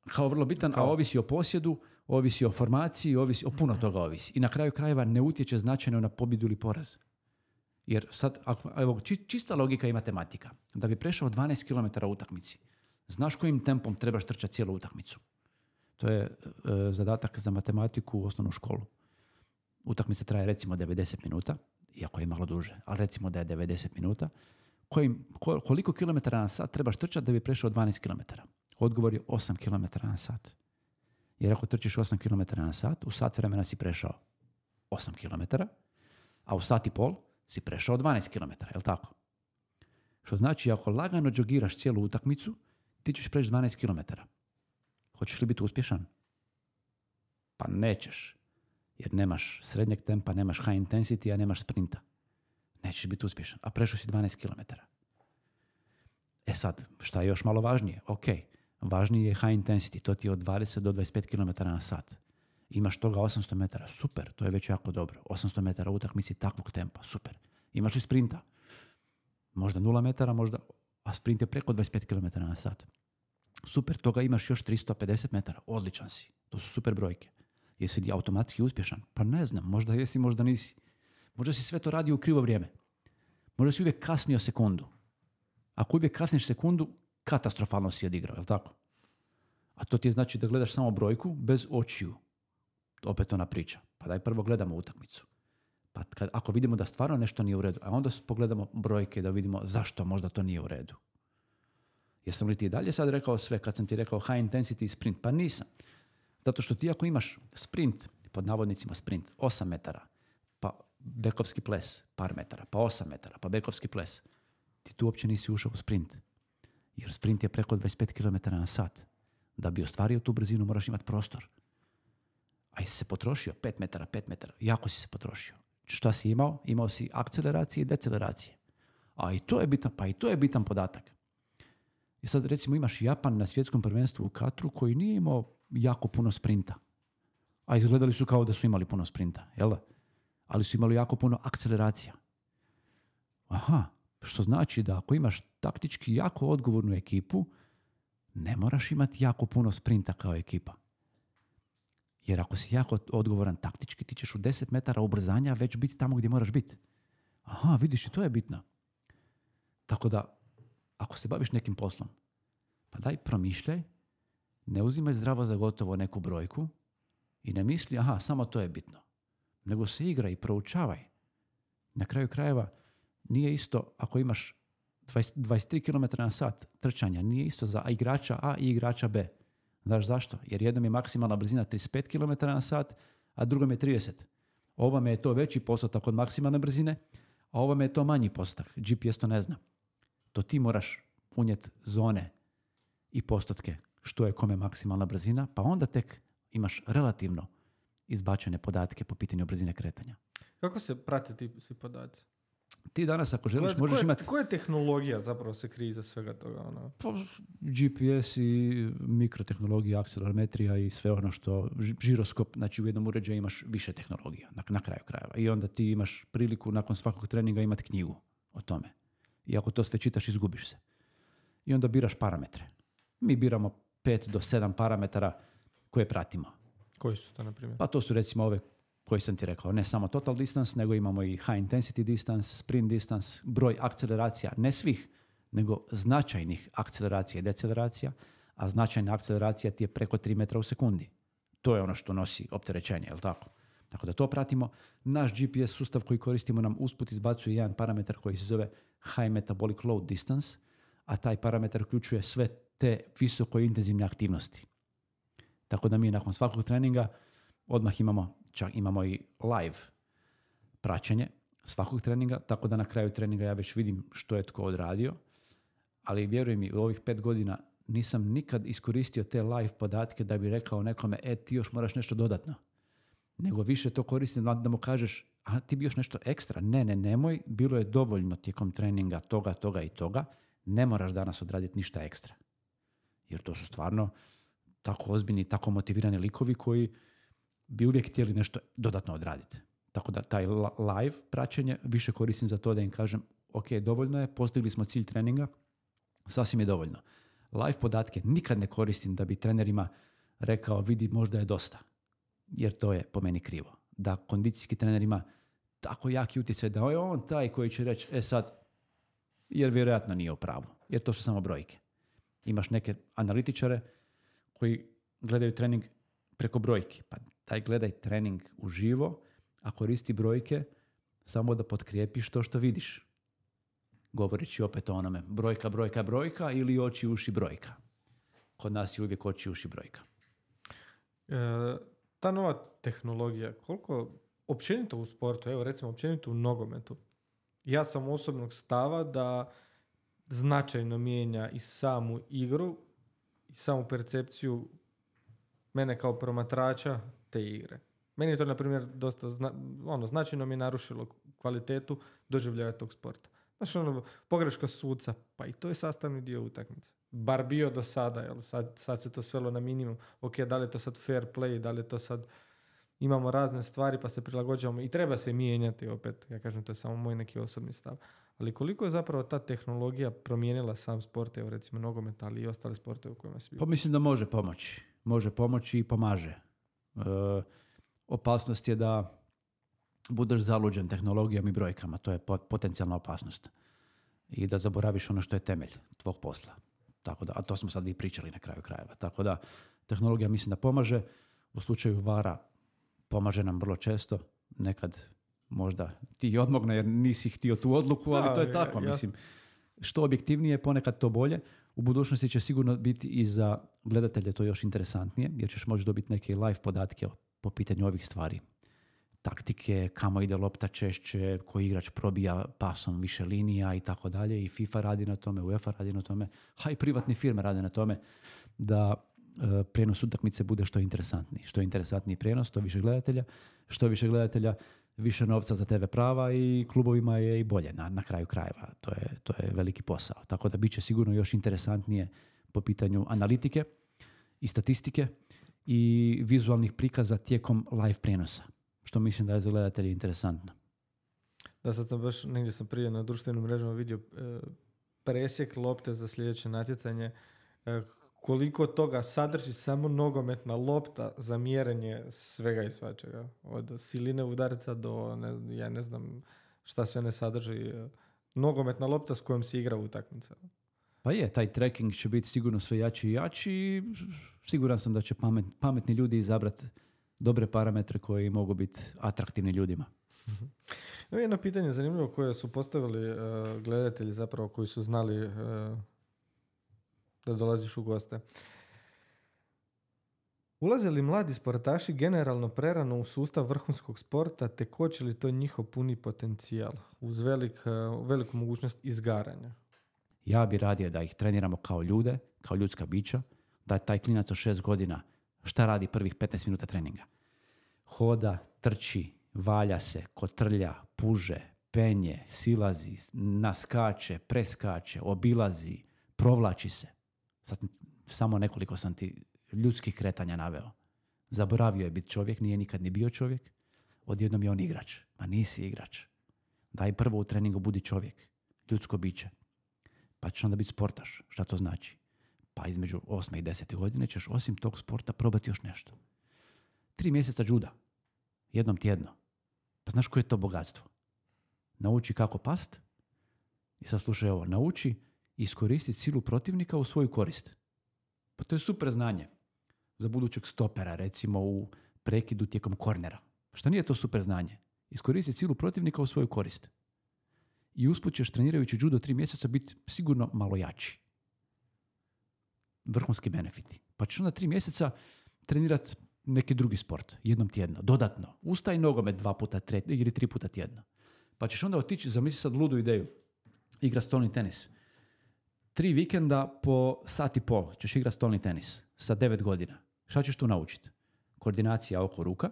Kao vrlo bitan, a ovisi o posjedu, ovisi o formaciji, ovisi o puno toga ovisi. I na kraju krajeva ne utječe značajno na pobjedu ili poraz. Jer sad, evo, čista logika i matematika. Da bi prešao 12 km u utakmici, znaš kojim tempom trebaš trčati cijelu utakmicu. To je zadatak za matematiku u osnovnu školu. Utakmica traje recimo 90 minuta, iako je malo duže, ali recimo da je 90 minuta. Koliko kilometara na sat trebaš trčati da bi prešao 12 km? Odgovor je 8 km na sat. Jer ako trčiš 8 km na sat, u sat vremena si prešao 8 km, a u sat i pol si prešao 12 km, je li tako? Što znači, ako lagano džogiraš cijelu utakmicu, ti ćeš preći 12 km. Hoćeš li biti uspješan? Pa nećeš. Jer nemaš srednjeg tempa, nemaš high intensity, a nemaš sprinta. Nećeš biti uspješan. A prešao si 12 km. E sad, šta je još malo važnije? Ok, važnije je high intensity. To ti je od 20 do 25 km na sat. Imaš toga 800 metara. Super, to je već jako dobro. 800 metara u utakmici takvog tempa. Super. Imaš li sprinta? Možda 0 metara, možda, a sprint je preko 25 km na sat. Super, toga imaš još 350 metara. Odličan si. To su super brojke. Jesi li automatski uspješan? Pa ne znam, možda jesi, možda nisi. Možda si sve to radio u krivo vrijeme. Možda si uvijek kasnio sekundu. Ako uvijek kasniš sekundu, katastrofalno si odigrao, je li tako? A to ti je znači da gledaš samo brojku bez očiju. Opet ona priča. Pa daj prvo gledamo utakmicu. Pa ako vidimo da stvarno nešto nije u redu, a onda pogledamo brojke da vidimo zašto možda to nije u redu. Jesam li ti dalje sad rekao sve kad sam ti rekao high intensity sprint? Pa nisam. Zato što ti ako imaš sprint, pod navodnicima sprint, 8 metara, pa bekovski ples, par metara, pa 8 metara, pa bekovski ples, ti tu uopće nisi ušao u sprint. Jer sprint je preko 25 km na sat. Da bi ostvario tu brzinu moraš imati prostor. A jesi se potrošio 5 metara, jako si se potrošio. Šta si imao? Imao si akceleracije i deceleracije. A i to je bitan podatak. I sad recimo imaš Japan na svjetskom prvenstvu u Katru koji nije imao jako puno sprinta. A izgledali su kao da su imali puno sprinta, jel da? Ali su imali jako puno akceleracija. Aha, što znači da ako imaš taktički jako odgovornu ekipu, ne moraš imati jako puno sprinta kao ekipa. Jer ako si jako odgovoran taktički, ti ćeš u 10 metara ubrzanja već biti tamo gdje moraš biti. Aha, vidiš, i to je bitno. Tako da, ako se baviš nekim poslom, pa daj promišljaj, ne uzimaj zdravo za gotovo neku brojku i ne misli, aha, samo to je bitno. Nego se igraj i proučavaj. Na kraju krajeva, nije isto ako imaš 23 km na sat trčanja, nije isto za igrača A i igrača B. Znaš zašto? Jer jednom je maksimalna brzina 35 km na sat, a drugom je 30. Ovome je to veći postotak od maksimalne brzine, a ovome je to manji postotak. GPS to ne zna. To ti moraš unijeti zone i postotke što je kome maksimalna brzina, pa onda tek imaš relativno izbačene podatke po pitanju brzine kretanja. Kako se prate ti svi podaci? Ti danas ako želiš možeš imati... Koja tehnologija zapravo se krije iza svega toga? Pa, GPS i mikrotehnologija, akcelerometrija i sve ono što... Žiroskop, znači u jednom uređaju imaš više tehnologija na kraju krajeva. I onda ti imaš priliku nakon svakog treninga imati knjigu o tome. I ako to sve čitaš, izgubiš se. I onda biraš parametre. Mi biramo 5 do 7 parametara koje pratimo. Koji su to, na primjer? Pa to su recimo ove koji sam ti rekao. Ne samo total distance, nego imamo i high intensity distance, sprint distance, broj akceleracija, ne svih, nego značajnih akceleracija i deceleracija, a značajna akceleracija ti je preko 3 metra u sekundi. To je ono što nosi opterećenje, je li tako? Tako da to pratimo. Naš GPS sustav koji koristimo nam usput izbacuje jedan parametar koji se zove high metabolic load distance, a taj parametar uključuje sve te visoko intenzivne aktivnosti. Tako da mi nakon svakog treninga odmah imamo i live praćenje svakog treninga, tako da na kraju treninga ja već vidim što je tko odradio, ali vjeruj mi, u ovih 5 godina nisam nikad iskoristio te live podatke da bi rekao nekome, ti još moraš nešto dodatno. Nego više to koristim da mu kažeš, ti bi još nešto ekstra. Nemoj, bilo je dovoljno tijekom treninga toga i toga, ne moraš danas odraditi ništa ekstra. Jer to su stvarno tako ozbiljni, tako motivirani likovi koji bi uvijek htjeli nešto dodatno odraditi. Tako da taj live praćenje više koristim za to da im kažem, ok, dovoljno je, postigli smo cilj treninga, sasvim je dovoljno. Live podatke nikad ne koristim da bi trenerima rekao, vidi, možda je dosta. Jer to je po meni krivo. Da kondicijski trener ima tako jaki utjecaj da je on taj koji će reći, sad, jer vjerojatno nije u pravu. Jer to su samo brojke. Imaš neke analitičare koji gledaju trening preko brojki. Pa daj gledaj trening uživo, a koristi brojke samo da potkrijepiš to što vidiš. Govoreći opet o onome brojka ili oči, uši, brojka. Kod nas je uvijek oči, uši, brojka. Ta nova tehnologija, koliko općenito u sportu, evo recimo općenito u nogometu, ja sam osobnog stava da značajno mijenja i samu igru i samu percepciju mene kao promatrača te igre. Meni je to, na primjer, dosta značajno mi je narušilo kvalitetu doživljaja tog sporta. Znači, pogreška suca, pa i to je sastavni dio utakmice. Bar bio do sada, jel? Sad se to svelo na minimum. Ok, da li je to sad fair play, da li je to sad... Imamo razne stvari pa se prilagođavamo i treba se mijenjati opet. Ja kažem, to je samo moj neki osobni stav. Ali koliko je zapravo ta tehnologija promijenila sam sport, evo recimo nogomet, ali i ostale sporte u kojima se bio? Pa mislim da može pomoći. Može pomoći i pomaže. Opasnost je da budeš zaluđen tehnologijom i brojkama. To je potencijalna opasnost. I da zaboraviš ono što je temelj tvog posla. Tako da, a to smo sad i pričali na kraju krajeva. Tako da tehnologija mislim da pomaže. U slučaju VAR-a pomaže nam vrlo često. Nekad možda ti odmogne jer nisi htio tu odluku, ali to je tako. Mislim, što objektivnije, ponekad to bolje. U budućnosti će sigurno biti i za gledatelje to još interesantnije, jer ćeš moći dobiti neke live podatke po pitanju ovih stvari. taktike, kamo ide lopta češće, koji igrač probija pasom više linija i tako dalje. I FIFA radi na tome, UEFA radi na tome, a i privatne firme rade na tome da prijenos utakmice bude što interesantniji. Što interesantniji prijenos, to više gledatelja. Što više gledatelja, više novca za TV prava i klubovima je i bolje na kraju krajeva. To je veliki posao. Tako da bit će sigurno još interesantnije po pitanju analitike i statistike i vizualnih prikaza tijekom live prijenosa. Što mislim da je za gledatelje interesantno. Da, sad sam baš negdje sam prije na društvenim mrežama vidio presjek lopte za sljedeće natjecanje. Koliko toga sadrži samo nogometna lopta za mjerenje svega i svačega. Od siline udarica do, ja ne znam šta sve ne sadrži. Nogometna lopta s kojom se igra utakmica. Pa je, taj tracking će biti sigurno sve jači i jači i siguran sam da će pametni ljudi izabrati dobre parametre koji mogu biti atraktivni ljudima. Evo jedno pitanje zanimljivo koje su postavili gledatelji zapravo koji su znali da dolaziš u goste. Ulaze li mladi sportaši generalno prerano u sustav vrhunskog sporta te koči li to njihov puni potencijal uz veliku mogućnost izgaranja? Ja bi radije da ih treniramo kao ljude, kao ljudska bića, da taj klinac od 6 godina šta radi prvih 15 minuta treninga. Hoda, trči, valja se, kotrlja, puže, penje, silazi, naskače, preskače, obilazi, provlači se. Sad samo nekoliko sam ti ljudskih kretanja naveo. Zaboravio je biti čovjek, nije nikad ni bio čovjek. Odjednom je on igrač. Ma nisi igrač. Daj prvo u treningu budi čovjek, ljudsko biće. Pa ćeš onda biti sportaš. Šta to znači? Pa između 8. i 10. godine ćeš osim tog sporta probati još nešto. 3 mjeseca džuda. Jednom tjedno. Pa znaš koje je to bogatstvo? Nauči kako past. I sad slušaj ovo. Nauči iskoristiti silu protivnika u svoju korist. Pa to je super znanje. Za budućeg stopera, recimo u prekidu tijekom kornera. Šta nije to super znanje? Iskoristiti silu protivnika u svoju korist. I usput ćeš trenirajući judo 3 mjeseca biti sigurno malo jači. Vrhunski benefiti. Pa ćeš onda 3 mjeseca trenirati neki drugi sport, jednom tjedno, dodatno. Ustaj nogomet 2 puta ili 3 puta tjedno. Pa ćeš onda otići, zamisli sad ludu ideju, igra stolni tenis. 3 vikenda po sat i pol ćeš igrati stolni tenis sa 9 godina. Šta ćeš tu naučiti? Koordinacija oko ruka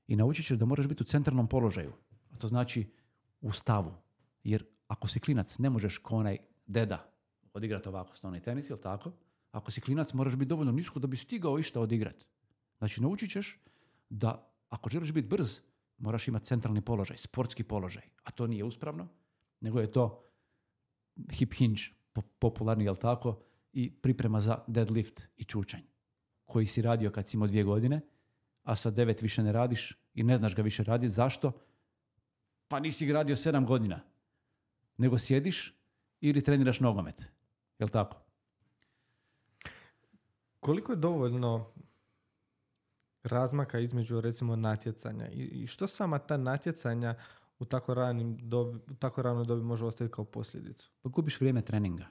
i naučit ćeš da moraš biti u centralnom položaju. A to znači u stavu. Jer ako si klinac, ne možeš ko onaj deda odigrati ovako stolni tenis, jel tako? Ako si klinac, moraš biti dovoljno nisko da bi stigao išta odigrati. Znači, naučit ćeš da ako želiš biti brz, moraš imati centralni položaj, sportski položaj. A to nije uspravno, nego je to hip hinge, popularni, jel tako, i priprema za deadlift i čučanj, koji si radio kad si imao 2 godine, a sa 9 više ne radiš i ne znaš ga više raditi. Zašto? Pa nisi ga radio 7 godina. Nego sjediš ili treniraš nogomet. Jel tako? Koliko je dovoljno razmaka između recimo natjecanja i što sama ta natjecanja u tako ranoj dobi može ostaviti kao posljedicu? Pa gubiš vrijeme treninga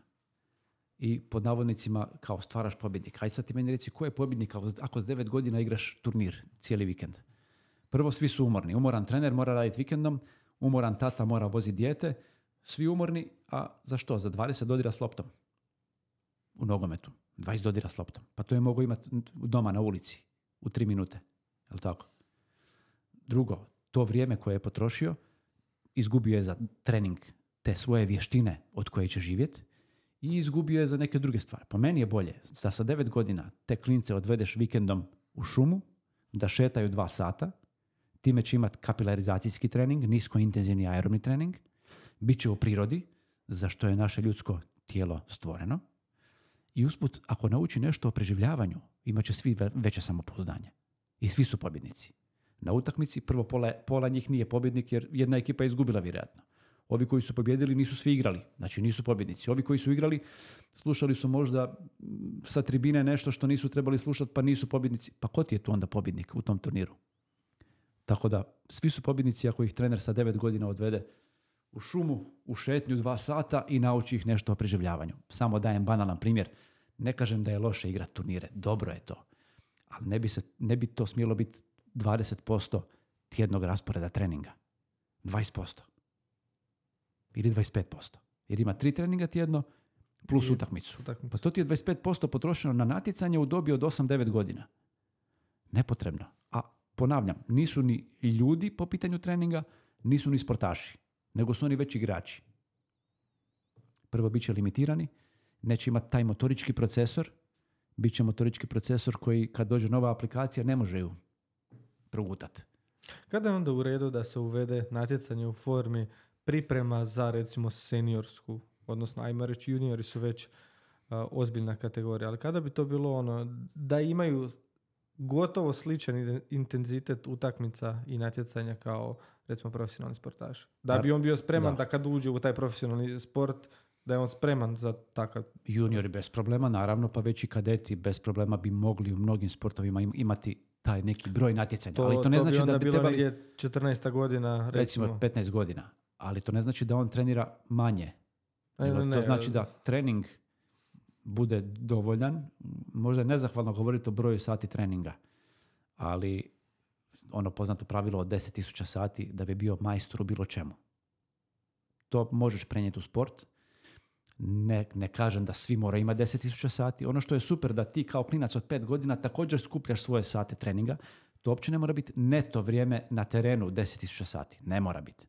i pod navodnicima kao stvaraš pobjednika. Aj sad ti meni reci ko je pobjednik ako s 9 godina igraš turnir cijeli vikend. Prvo svi su umorni. Umoran trener mora raditi vikendom, umoran tata mora voziti dijete, svi umorni, a za što? Za 20 dodira s loptom u nogometu. 20 dodira s loptom. Pa to je mogu imati doma na ulici u 3 minute. Jel' tako? Drugo, to vrijeme koje je potrošio izgubio je za trening te svoje vještine od koje će živjeti i izgubio je za neke druge stvari. Po meni je bolje da sa 9 godina te klince odvedeš vikendom u šumu, da šetaju 2 sata, time će imati kapilarizacijski trening, niskointenzivni aerobni trening, bit će u prirodi, za što je naše ljudsko tijelo stvoreno, i usput, ako nauči nešto o preživljavanju, imat će svi veće samopouzdanje. I svi su pobjednici. Na utakmici prvo pola njih nije pobjednik jer jedna ekipa je izgubila vjerojatno. Ovi koji su pobjedili nisu svi igrali, znači nisu pobjednici. Ovi koji su igrali slušali su možda sa tribine nešto što nisu trebali slušati pa nisu pobjednici. Pa ko ti je tu onda pobjednik u tom turniru? Tako da svi su pobjednici ako ih trener sa 9 godina odvede u šumu, u šetnju 2 sata i nauči ih nešto o preživljavanju. Samo dajem banalan primjer. Ne kažem da je loše igrati turnire, dobro je to. Ali ne bi to smjelo biti 20% tjednog rasporeda treninga. 20%. Ili 25%. Jer ima 3 treninga tjedno plus utakmicu. Pa to ti je 25% potrošeno na natjecanje u dobi od 8-9 godina. Nepotrebno. A ponavljam, nisu ni ljudi po pitanju treninga, nisu ni sportaši, nego su oni već igrači. Prvo, bit će limitirani, neće imati taj motorički procesor, bit će motorički procesor koji kad dođe nova aplikacija ne može ju progutati. Kada je onda u redu da se uvede natjecanje u formi priprema za recimo seniorsku, odnosno ajmo reći juniori su već ozbiljna kategorija, ali kada bi to bilo ono da imaju gotovo sličan intenzitet utakmica i natjecanja kao recimo profesionalni sportaš. Da bi on bio spreman da kad uđe u taj profesionalni sport da je on spreman za takav. Juniori bez problema, naravno, pa već i kadeti bez problema bi mogli u mnogim sportovima imati taj neki broj natjecanja. Ali to ne znači bi onda da bi bilo trebali... negdje 14 godina, recimo 15 godina. Ali to ne znači da on trenira manje. To znači da trening bude dovoljan. Možda je nezahvalno govoriti o broju sati treninga, ali ono poznato pravilo od 10.000 sati da bi bio majstor u bilo čemu. To možeš prenijeti u sport. Ne kažem da svi moraju imati 10.000 sati. Ono što je super da ti kao klinac od 5 godina također skupljaš svoje sate treninga. To uopće ne mora biti neto vrijeme na terenu 10.000 sati. Ne mora biti.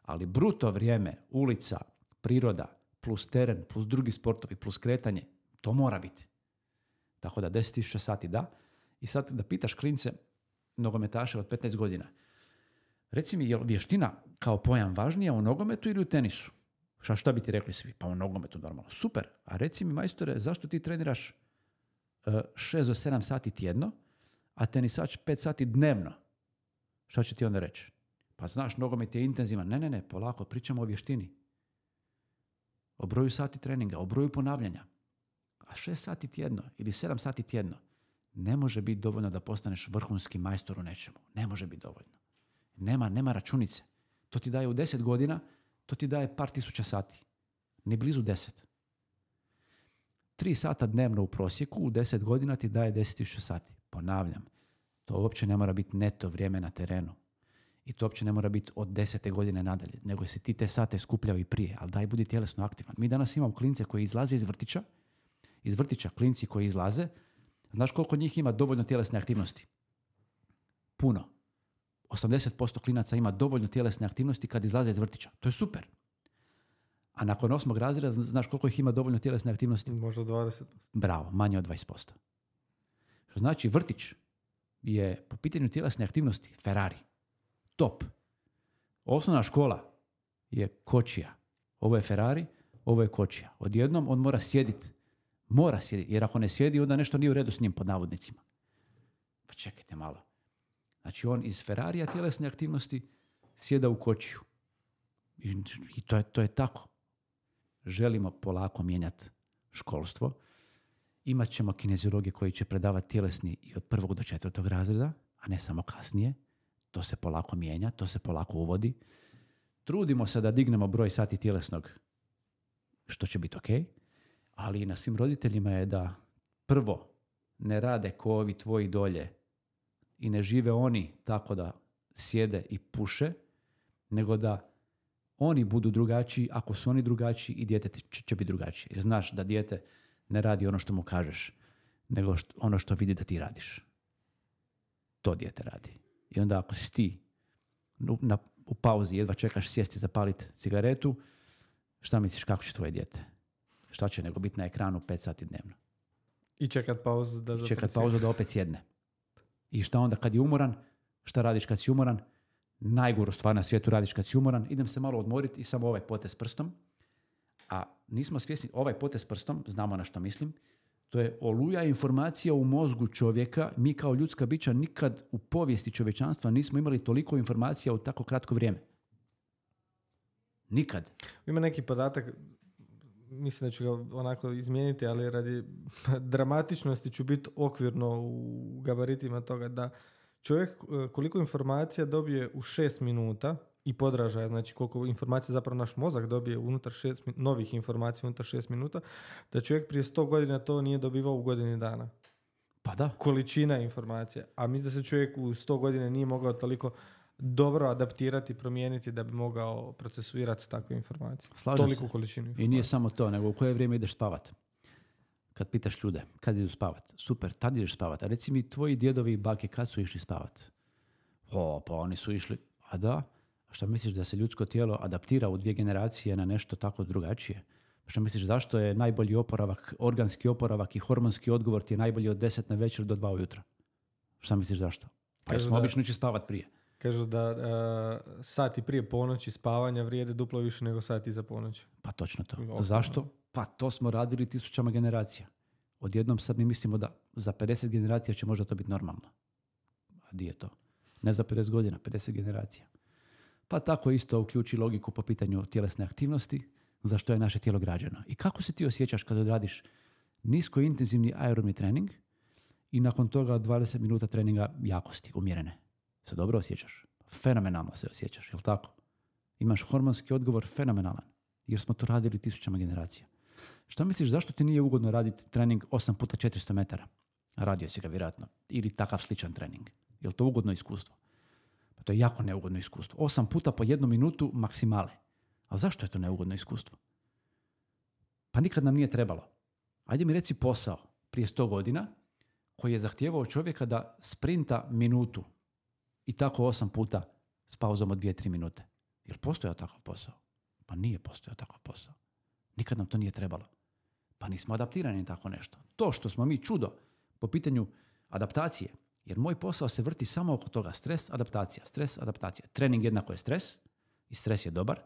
Ali bruto vrijeme, ulica, priroda, plus teren, plus drugi sportovi, plus kretanje, to mora biti. Tako da 10.000 sati da. I sad da pitaš klince, nogometaše od 15 godina, reci mi, je li vještina kao pojam važnija u nogometu ili u tenisu? Šta bi ti rekli svi? Pa u nogometu normalno. Super. A reci mi, majstore, zašto ti treniraš 6 do 7 sati tjedno, a tenisač 5 sati dnevno? Šta će ti onda reći? Pa znaš, nogomet je intenzivan. Ne, polako, pričamo o vještini. O broju sati treninga, o broju ponavljanja. A 6 sati tjedno ili 7 sati tjedno ne može biti dovoljno da postaneš vrhunski majstor u nečemu. Ne može biti dovoljno. Nema računice. To ti daje u 10 godina, to ti daje par tisuća sati. Ni blizu 10. 3 sata dnevno u prosjeku u 10 godina ti daje 10.000 sati. Ponavljam, to uopće ne mora biti neto vrijeme na terenu. I to uopće ne mora biti od 10. godine nadalje, nego si ti te sate skupljao i prije, ali daj budi tjelesno aktivan. Mi danas imamo klince koji izlaze iz vrtića klinci koji izlaze, znaš koliko njih ima dovoljno tjelesne aktivnosti? Puno. 80% klinaca ima dovoljno tjelesne aktivnosti kad izlaze iz vrtića. To je super. A nakon 8. razreda znaš koliko ih ima dovoljno tjelesne aktivnosti? Možda 20%. Bravo, manje od 20%. Što znači vrtić je po pitanju tjelesne aktivnosti Ferrari. Top. Osnovna škola je kočija. Ovo je Ferrari, ovo je kočija. Odjednom on mora sjediti. Jer ako ne sjedi, onda nešto nije u redu s njim, pod navodnicima. Pa čekajte malo. Znači on iz Ferrarija tjelesne aktivnosti sjeda u kočiju. I to je tako. Želimo polako mijenjati školstvo. Imat ćemo kineziologe koji će predavati tjelesni i od 1. do 4. razreda, a ne samo kasnije. To se polako mijenja, to se polako uvodi. Trudimo se da dignemo broj sati tjelesnog, što će biti ok, ali i na svim roditeljima je da prvo ne rade ko ovi tvoji dolje i ne žive oni tako da sjede i puše, nego da oni budu drugačiji. Ako su oni drugačiji, i dijete će biti drugačije. Jer znaš da dijete ne radi ono što mu kažeš, nego ono što vidi da ti radiš. To dijete radi. I onda ako si ti u pauzi jedva čekaš sjesti zapaliti cigaretu, šta misliš kako će tvoje dijete? Šta će nego biti na ekranu 5 sati dnevno? I čekat pauzu da opet sjedne. I šta onda kad je umoran? Šta radiš kad si umoran? Najgoru stvar na svijetu radiš kad si umoran. Idem se malo odmoriti i samo ovaj potez prstom. A nismo svjesni, ovaj potez prstom, znamo na što mislim, to je oluja informacija u mozgu čovjeka. Mi kao ljudska bića nikad u povijesti čovječanstva nismo imali toliko informacija u tako kratko vrijeme. Nikad. Ima neki podatak, mislim da ću ga onako izmijeniti, ali radi dramatičnosti ću biti okvirno u gabaritima toga da čovjek koliko informacija dobije u 6 minuta i podražaja, znači koliko informacija zapravo naš mozak dobije unutar novih informacija unutar 6 minuta, da čovjek prije 100 godina to nije dobivao u godini dana. Pa da. Količina informacija. A mislim da se čovjek u 100 godina nije mogao toliko dobro adaptirati, promijeniti da bi mogao procesuirati takve informacije. Slažem Toliku se. količinu informacija. I nije samo to, nego u koje vrijeme ideš spavat. Kad pitaš ljude, kad idu spavat? Super, tad ideš spavat. A reci mi, tvoji djedovi i bake kad su išli spavat? Pa oni su išli. A da? A šta misliš da se ljudsko tijelo adaptira u 2 generacije na nešto tako drugačije? Šta misliš zašto je najbolji oporavak, organski oporavak i hormonski odgovor ti je najbolji od 10 na večer do 2 ujutro? Šta misliš zašto? Pa jer smo obično ići spavat prije. Kažu da sati prije ponoći spavanja vrijede duplo više nego sati za ponoć. Pa točno to. Zašto? Pa to smo radili 1000 generacija. Odjednom sad mi mislimo da za 50 generacija će možda to biti normalno. A di je to? Ne za 50 godina, 50 generacija. Pa tako isto uključi logiku po pitanju tjelesne aktivnosti, za što je naše tijelo građeno. I kako se ti osjećaš kada odradiš nisko intenzivni aerobni trening i nakon toga 20 minuta treninga jakosti, umjerene? Se dobro osjećaš? Fenomenalno se osjećaš, jel tako? Imaš hormonski odgovor fenomenalan, jer smo to radili 1000 generacija. Šta misliš, zašto ti nije ugodno raditi trening 8 puta 400 metara? Radio si ga vjerojatno. Ili takav sličan trening. Je li to ugodno iskustvo? Pa to je jako neugodno iskustvo. 8 puta po 1 minutu maksimale. A zašto je to neugodno iskustvo? Pa nikad nam nije trebalo. Ajde mi reci posao prije 100 godina koji je zahtijevao čovjeka da sprinta minutu i tako 8 puta s pauzom od 2-3 minute. Je li postojao takav posao? Pa nije postojao takav posao. Nikad nam to nije trebalo. Pa nismo adaptirani na tako nešto. To što smo mi čudo po pitanju adaptacije, jer moj posao se vrti samo oko toga. Stres, adaptacija. Trening jednako je stres i stres je dobar.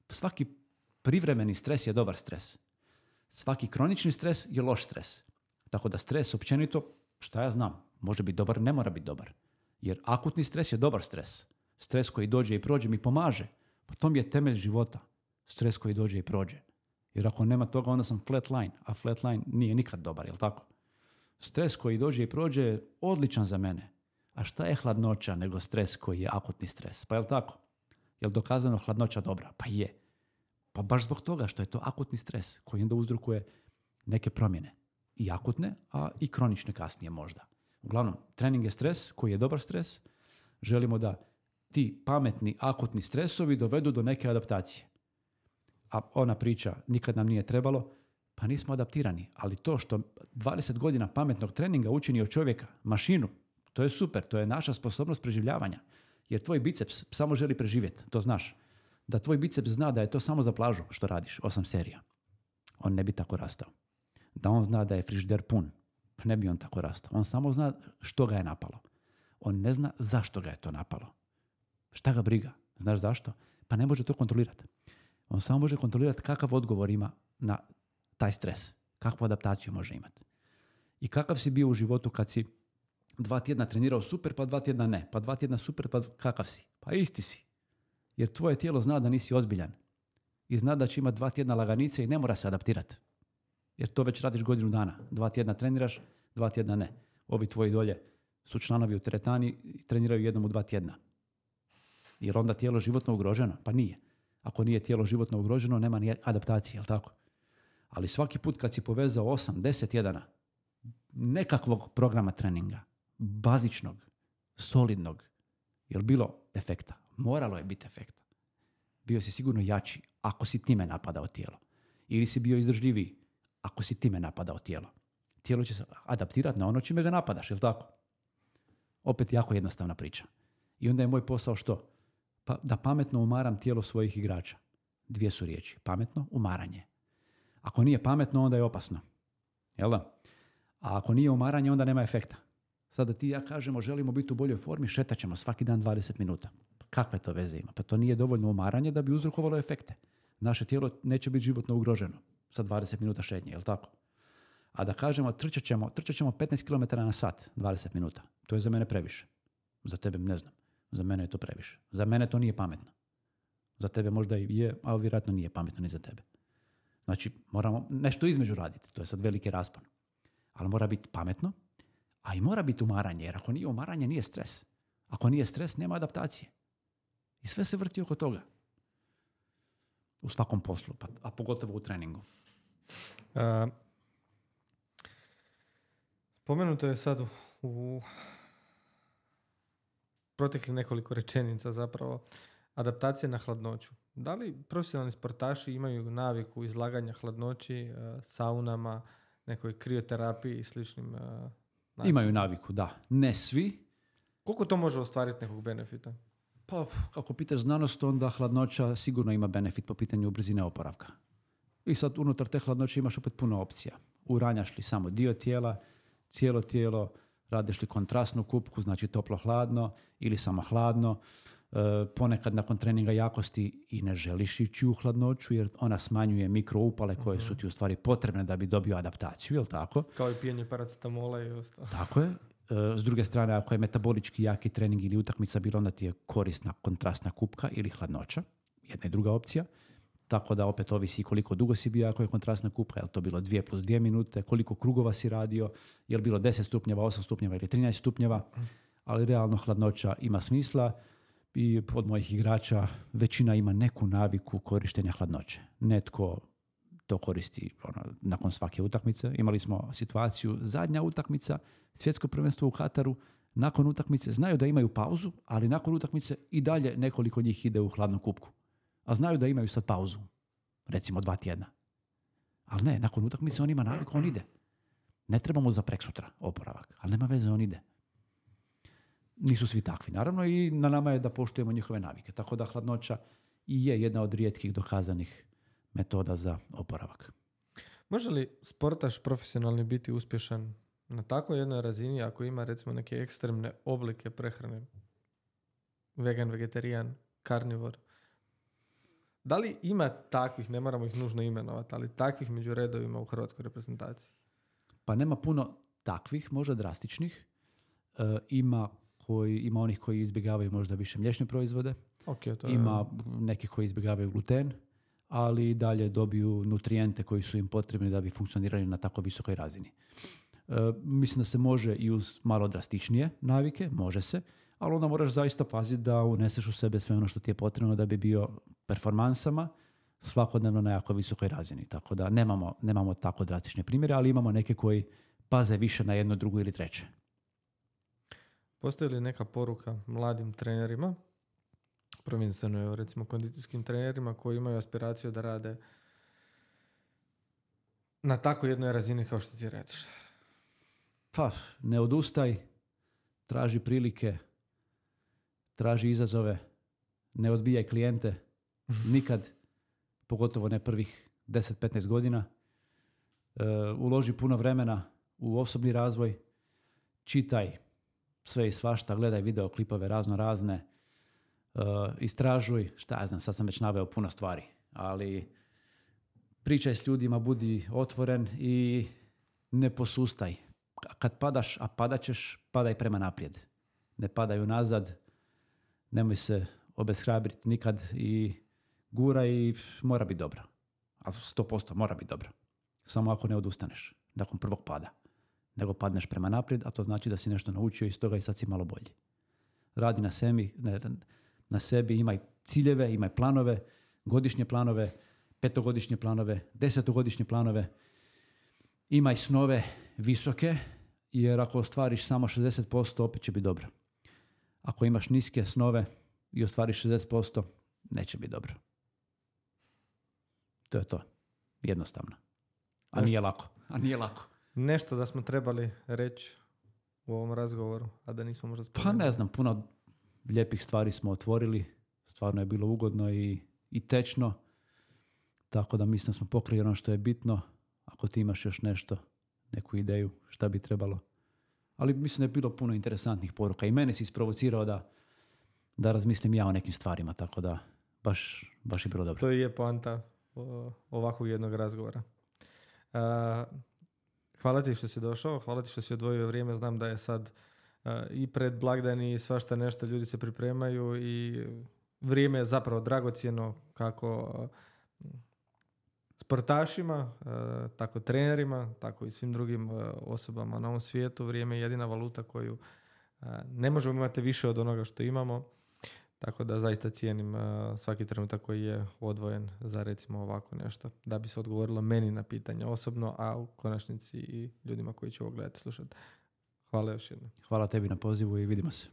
Svaki privremeni stres je dobar stres. Svaki kronični stres je loš stres. Tako da stres općenito, šta ja znam, može biti dobar, ne mora biti dobar. Jer akutni stres je dobar stres. Stres koji dođe i prođe mi pomaže. Pa to mi je temelj života. Stres koji dođe i prođe. Jer ako nema toga, onda sam flatline, a flatline nije nikad dobar, jel tako? Stres koji dođe i prođe je odličan za mene. A šta je hladnoća nego stres koji je akutni stres? Pa jel tako? Jel dokazano hladnoća dobra? Pa je. Pa baš zbog toga što je to akutni stres koji onda uzrokuje neke promjene. I akutne, a i kronične kasnije možda. Uglavnom, trening je stres koji je dobar stres. Želimo da ti pametni akutni stresovi dovedu do neke adaptacije. A ona priča, nikad nam nije trebalo, pa nismo adaptirani. Ali to što 20 godina pametnog treninga učini od čovjeka mašinu, to je super, to je naša sposobnost preživljavanja. Jer tvoj biceps samo želi preživjeti, to znaš. Da tvoj biceps zna da je to samo za plažu što radiš, 8 serija. On ne bi tako rastao. Da on zna da je frižider pun, ne bi on tako rastao. On samo zna što ga je napalo. On ne zna zašto ga je to napalo. Šta ga briga? Znaš zašto? Pa ne može to kontrolirati. On samo može kontrolirati kakav odgovor ima na taj stres. Kakvu adaptaciju može imati. I kakav si bio u životu kad si 2 tjedna trenirao super, pa 2 tjedna ne. Pa 2 tjedna super, pa kakav si? Pa isti si. Jer tvoje tijelo zna da nisi ozbiljan. I zna da će imati 2 tjedna laganice i ne mora se adaptirati. Jer to već radiš godinu dana. 2 tjedna treniraš, 2 tjedna ne. Ovi tvoji dolje su članovi u teretani i treniraju jednom u 2 tjedna. Jer onda tijelo životno ugroženo? Pa nije. Ako nije tijelo životno ugroženo, nema ni adaptacije, jel tako? Ali svaki put kad si povezao 8-10 tjedana nekakvog programa treninga, bazičnog, solidnog, jel bilo efekta? Moralo je biti efekta. Bio si sigurno jači ako si time napadao tijelo. Ili si bio izdržljiviji ako si time napadao tijelo. Tijelo će se adaptirati na ono čime ga napadaš, jel tako? Opet jako jednostavna priča. I onda je moj posao što? Pa da pametno umaram tijelo svojih igrača. 2 su riječi. Pametno, umaranje. Ako nije pametno, onda je opasno. Jel da? A ako nije umaranje, onda nema efekta. Sada ti i ja kažemo, želimo biti u boljoj formi, šetat ćemo svaki dan 20 minuta. Kakve to veze ima? Pa to nije dovoljno umaranje da bi uzrokovalo efekte. Naše tijelo neće biti životno ugroženo sa 20 minuta šetnje, jel tako? A da kažemo, trčat ćemo 15 km na sat, 20 minuta. To je za mene previše. Za tebe ne znam. Za mene je to previše. Za mene to nije pametno. Za tebe možda i je, ali vjerojatno nije pametno ni za tebe. Znači, moramo nešto između raditi. To je sad veliki raspon. Ali mora biti pametno, a i mora biti umaranje. Jer ako nije umaranje, nije stres. Ako nije stres, nema adaptacije. I sve se vrti oko toga. U svakom poslu, a pogotovo u treningu. Spomenuto je sad u protekli nekoliko rečenica zapravo. Adaptacija na hladnoću. Da li profesionalni sportaši imaju naviku izlaganja hladnoći, saunama, nekoj krioterapiji i sličnim načinima? Imaju naviku, da. Ne svi. Koliko to može ostvariti nekog benefita? Pa, ako pitaš znanost, onda hladnoća sigurno ima benefit po pitanju brzine oporavka. I sad unutar te hladnoće imaš opet puno opcija. Uranjaš li samo dio tijela, cijelo tijelo, radiš li kontrastnu kupku, znači toplo-hladno ili samo hladno. Ponekad nakon treninga jakosti i ne želiš ići u hladnoću jer ona smanjuje mikroupale koje su ti u stvari potrebne da bi dobio adaptaciju, jel tako? Kao i pijenje paracetamola i ostalo. Tako je. S druge strane, ako je metabolički jaki trening ili utakmica bila, onda ti je korisna kontrastna kupka ili hladnoća. Jedna i druga opcija. Tako da opet ovisi koliko dugo si bio ako je kontrastna kupka, je li to bilo 2 + 2 minute, koliko krugova si radio, je li bilo 10 stupnjeva, 8 stupnjeva ili 13 stupnjeva, ali realno hladnoća ima smisla i od mojih igrača većina ima neku naviku korištenja hladnoće. Netko to koristi nakon svake utakmice. Imali smo situaciju, zadnja utakmica, svjetsko prvenstvo u Kataru, nakon utakmice znaju da imaju pauzu, ali nakon utakmice i dalje nekoliko njih ide u hladnu kupku. A znaju da imaju sad pauzu, recimo 2 tjedna. Ali ne, nakon utakmice on ima naviku, on ide. Ne treba mu za preksutra oporavak, ali nema veze, on ide. Nisu svi takvi, naravno, i na nama je da poštujemo njihove navike. Tako da hladnoća i je jedna od rijetkih dokazanih metoda za oporavak. Može li sportaš profesionalni biti uspješan na takvoj jednoj razini ako ima recimo neke ekstremne oblike prehrane? Vegan, vegetarijan, karnivor. Da li ima takvih, ne moramo ih nužno imenovati, ali takvih među redovima u hrvatskoj reprezentaciji? Pa nema puno takvih, možda drastičnih. Ima onih koji izbjegavaju možda više mliječne proizvode. Ima neki koji izbjegavaju gluten, ali dalje dobiju nutrijente koji su im potrebni da bi funkcionirali na tako visokoj razini. Mislim da se može i uz malo drastičnije navike, može se, ali onda moraš zaista paziti da uneseš u sebe sve ono što ti je potrebno da bi bio performansama svakodnevno na jako visokoj razini. Tako da nemamo tako drastične primjere, ali imamo neke koji paze više na jedno, drugo ili treće. Postoji li neka poruka mladim trenerima, prvenstveno recimo kondicijskim trenerima koji imaju aspiraciju da rade na tako jednoj razini kao što ti radiš? Pa, ne odustaj, traži prilike, traži izazove, ne odbijaj klijente, nikad, pogotovo ne prvih 10-15 godina. Uloži puno vremena u osobni razvoj, čitaj sve i svašta, gledaj videoklipove razne, istražuj, šta ja znam, sad sam već naveo puno stvari, ali pričaj s ljudima, budi otvoren i ne posustaj. Kad padaš, a padat ćeš, padaj prema naprijed. Ne padaj unazad, nemoj se obeshrabriti nikad i gura i mora biti dobro. A 100% mora biti dobro. Samo ako ne odustaneš nakon prvog pada. Nego padneš prema naprijed, a to znači da si nešto naučio iz toga i sad si malo bolji. Radi na sebi, imaj ciljeve, imaj planove, godišnje planove, 5-godišnje planove, 10-godišnje planove. Imaj snove visoke, jer ako ostvariš samo 60%, opet će biti dobro. Ako imaš niske snove i ostvariš 60%, neće biti dobro. To je to. Jednostavno. A nije lako. Nešto da smo trebali reći u ovom razgovoru, a da nismo možda spomenuli? Pa ne znam, puno lijepih stvari smo otvorili. Stvarno je bilo ugodno i tečno. Tako da mislim da smo pokrili ono što je bitno. Ako ti imaš još nešto, neku ideju, šta bi trebalo. Ali mislim da je bilo puno interesantnih poruka. I mene si isprovocirao da razmislim ja o nekim stvarima. Tako da baš je bilo dobro. To je poanta ovakvog jednog razgovora. Hvala ti što si došao, hvala ti što si odvojio vrijeme. Znam da je sad i pred blagdani i svašta nešto, ljudi se pripremaju i vrijeme je zapravo dragocjeno kako sportašima, tako trenerima, tako i svim drugim osobama na ovom svijetu. Vrijeme je jedina valuta koju ne možemo imati više od onoga što imamo. Tako da zaista cijenim svaki trenutak koji je odvojen za recimo ovako nešto. Da bi se odgovorilo meni na pitanje osobno, a u konačnici i ljudima koji će ovo gledati, slušati. Hvala još jednom. Hvala tebi na pozivu i vidimo se.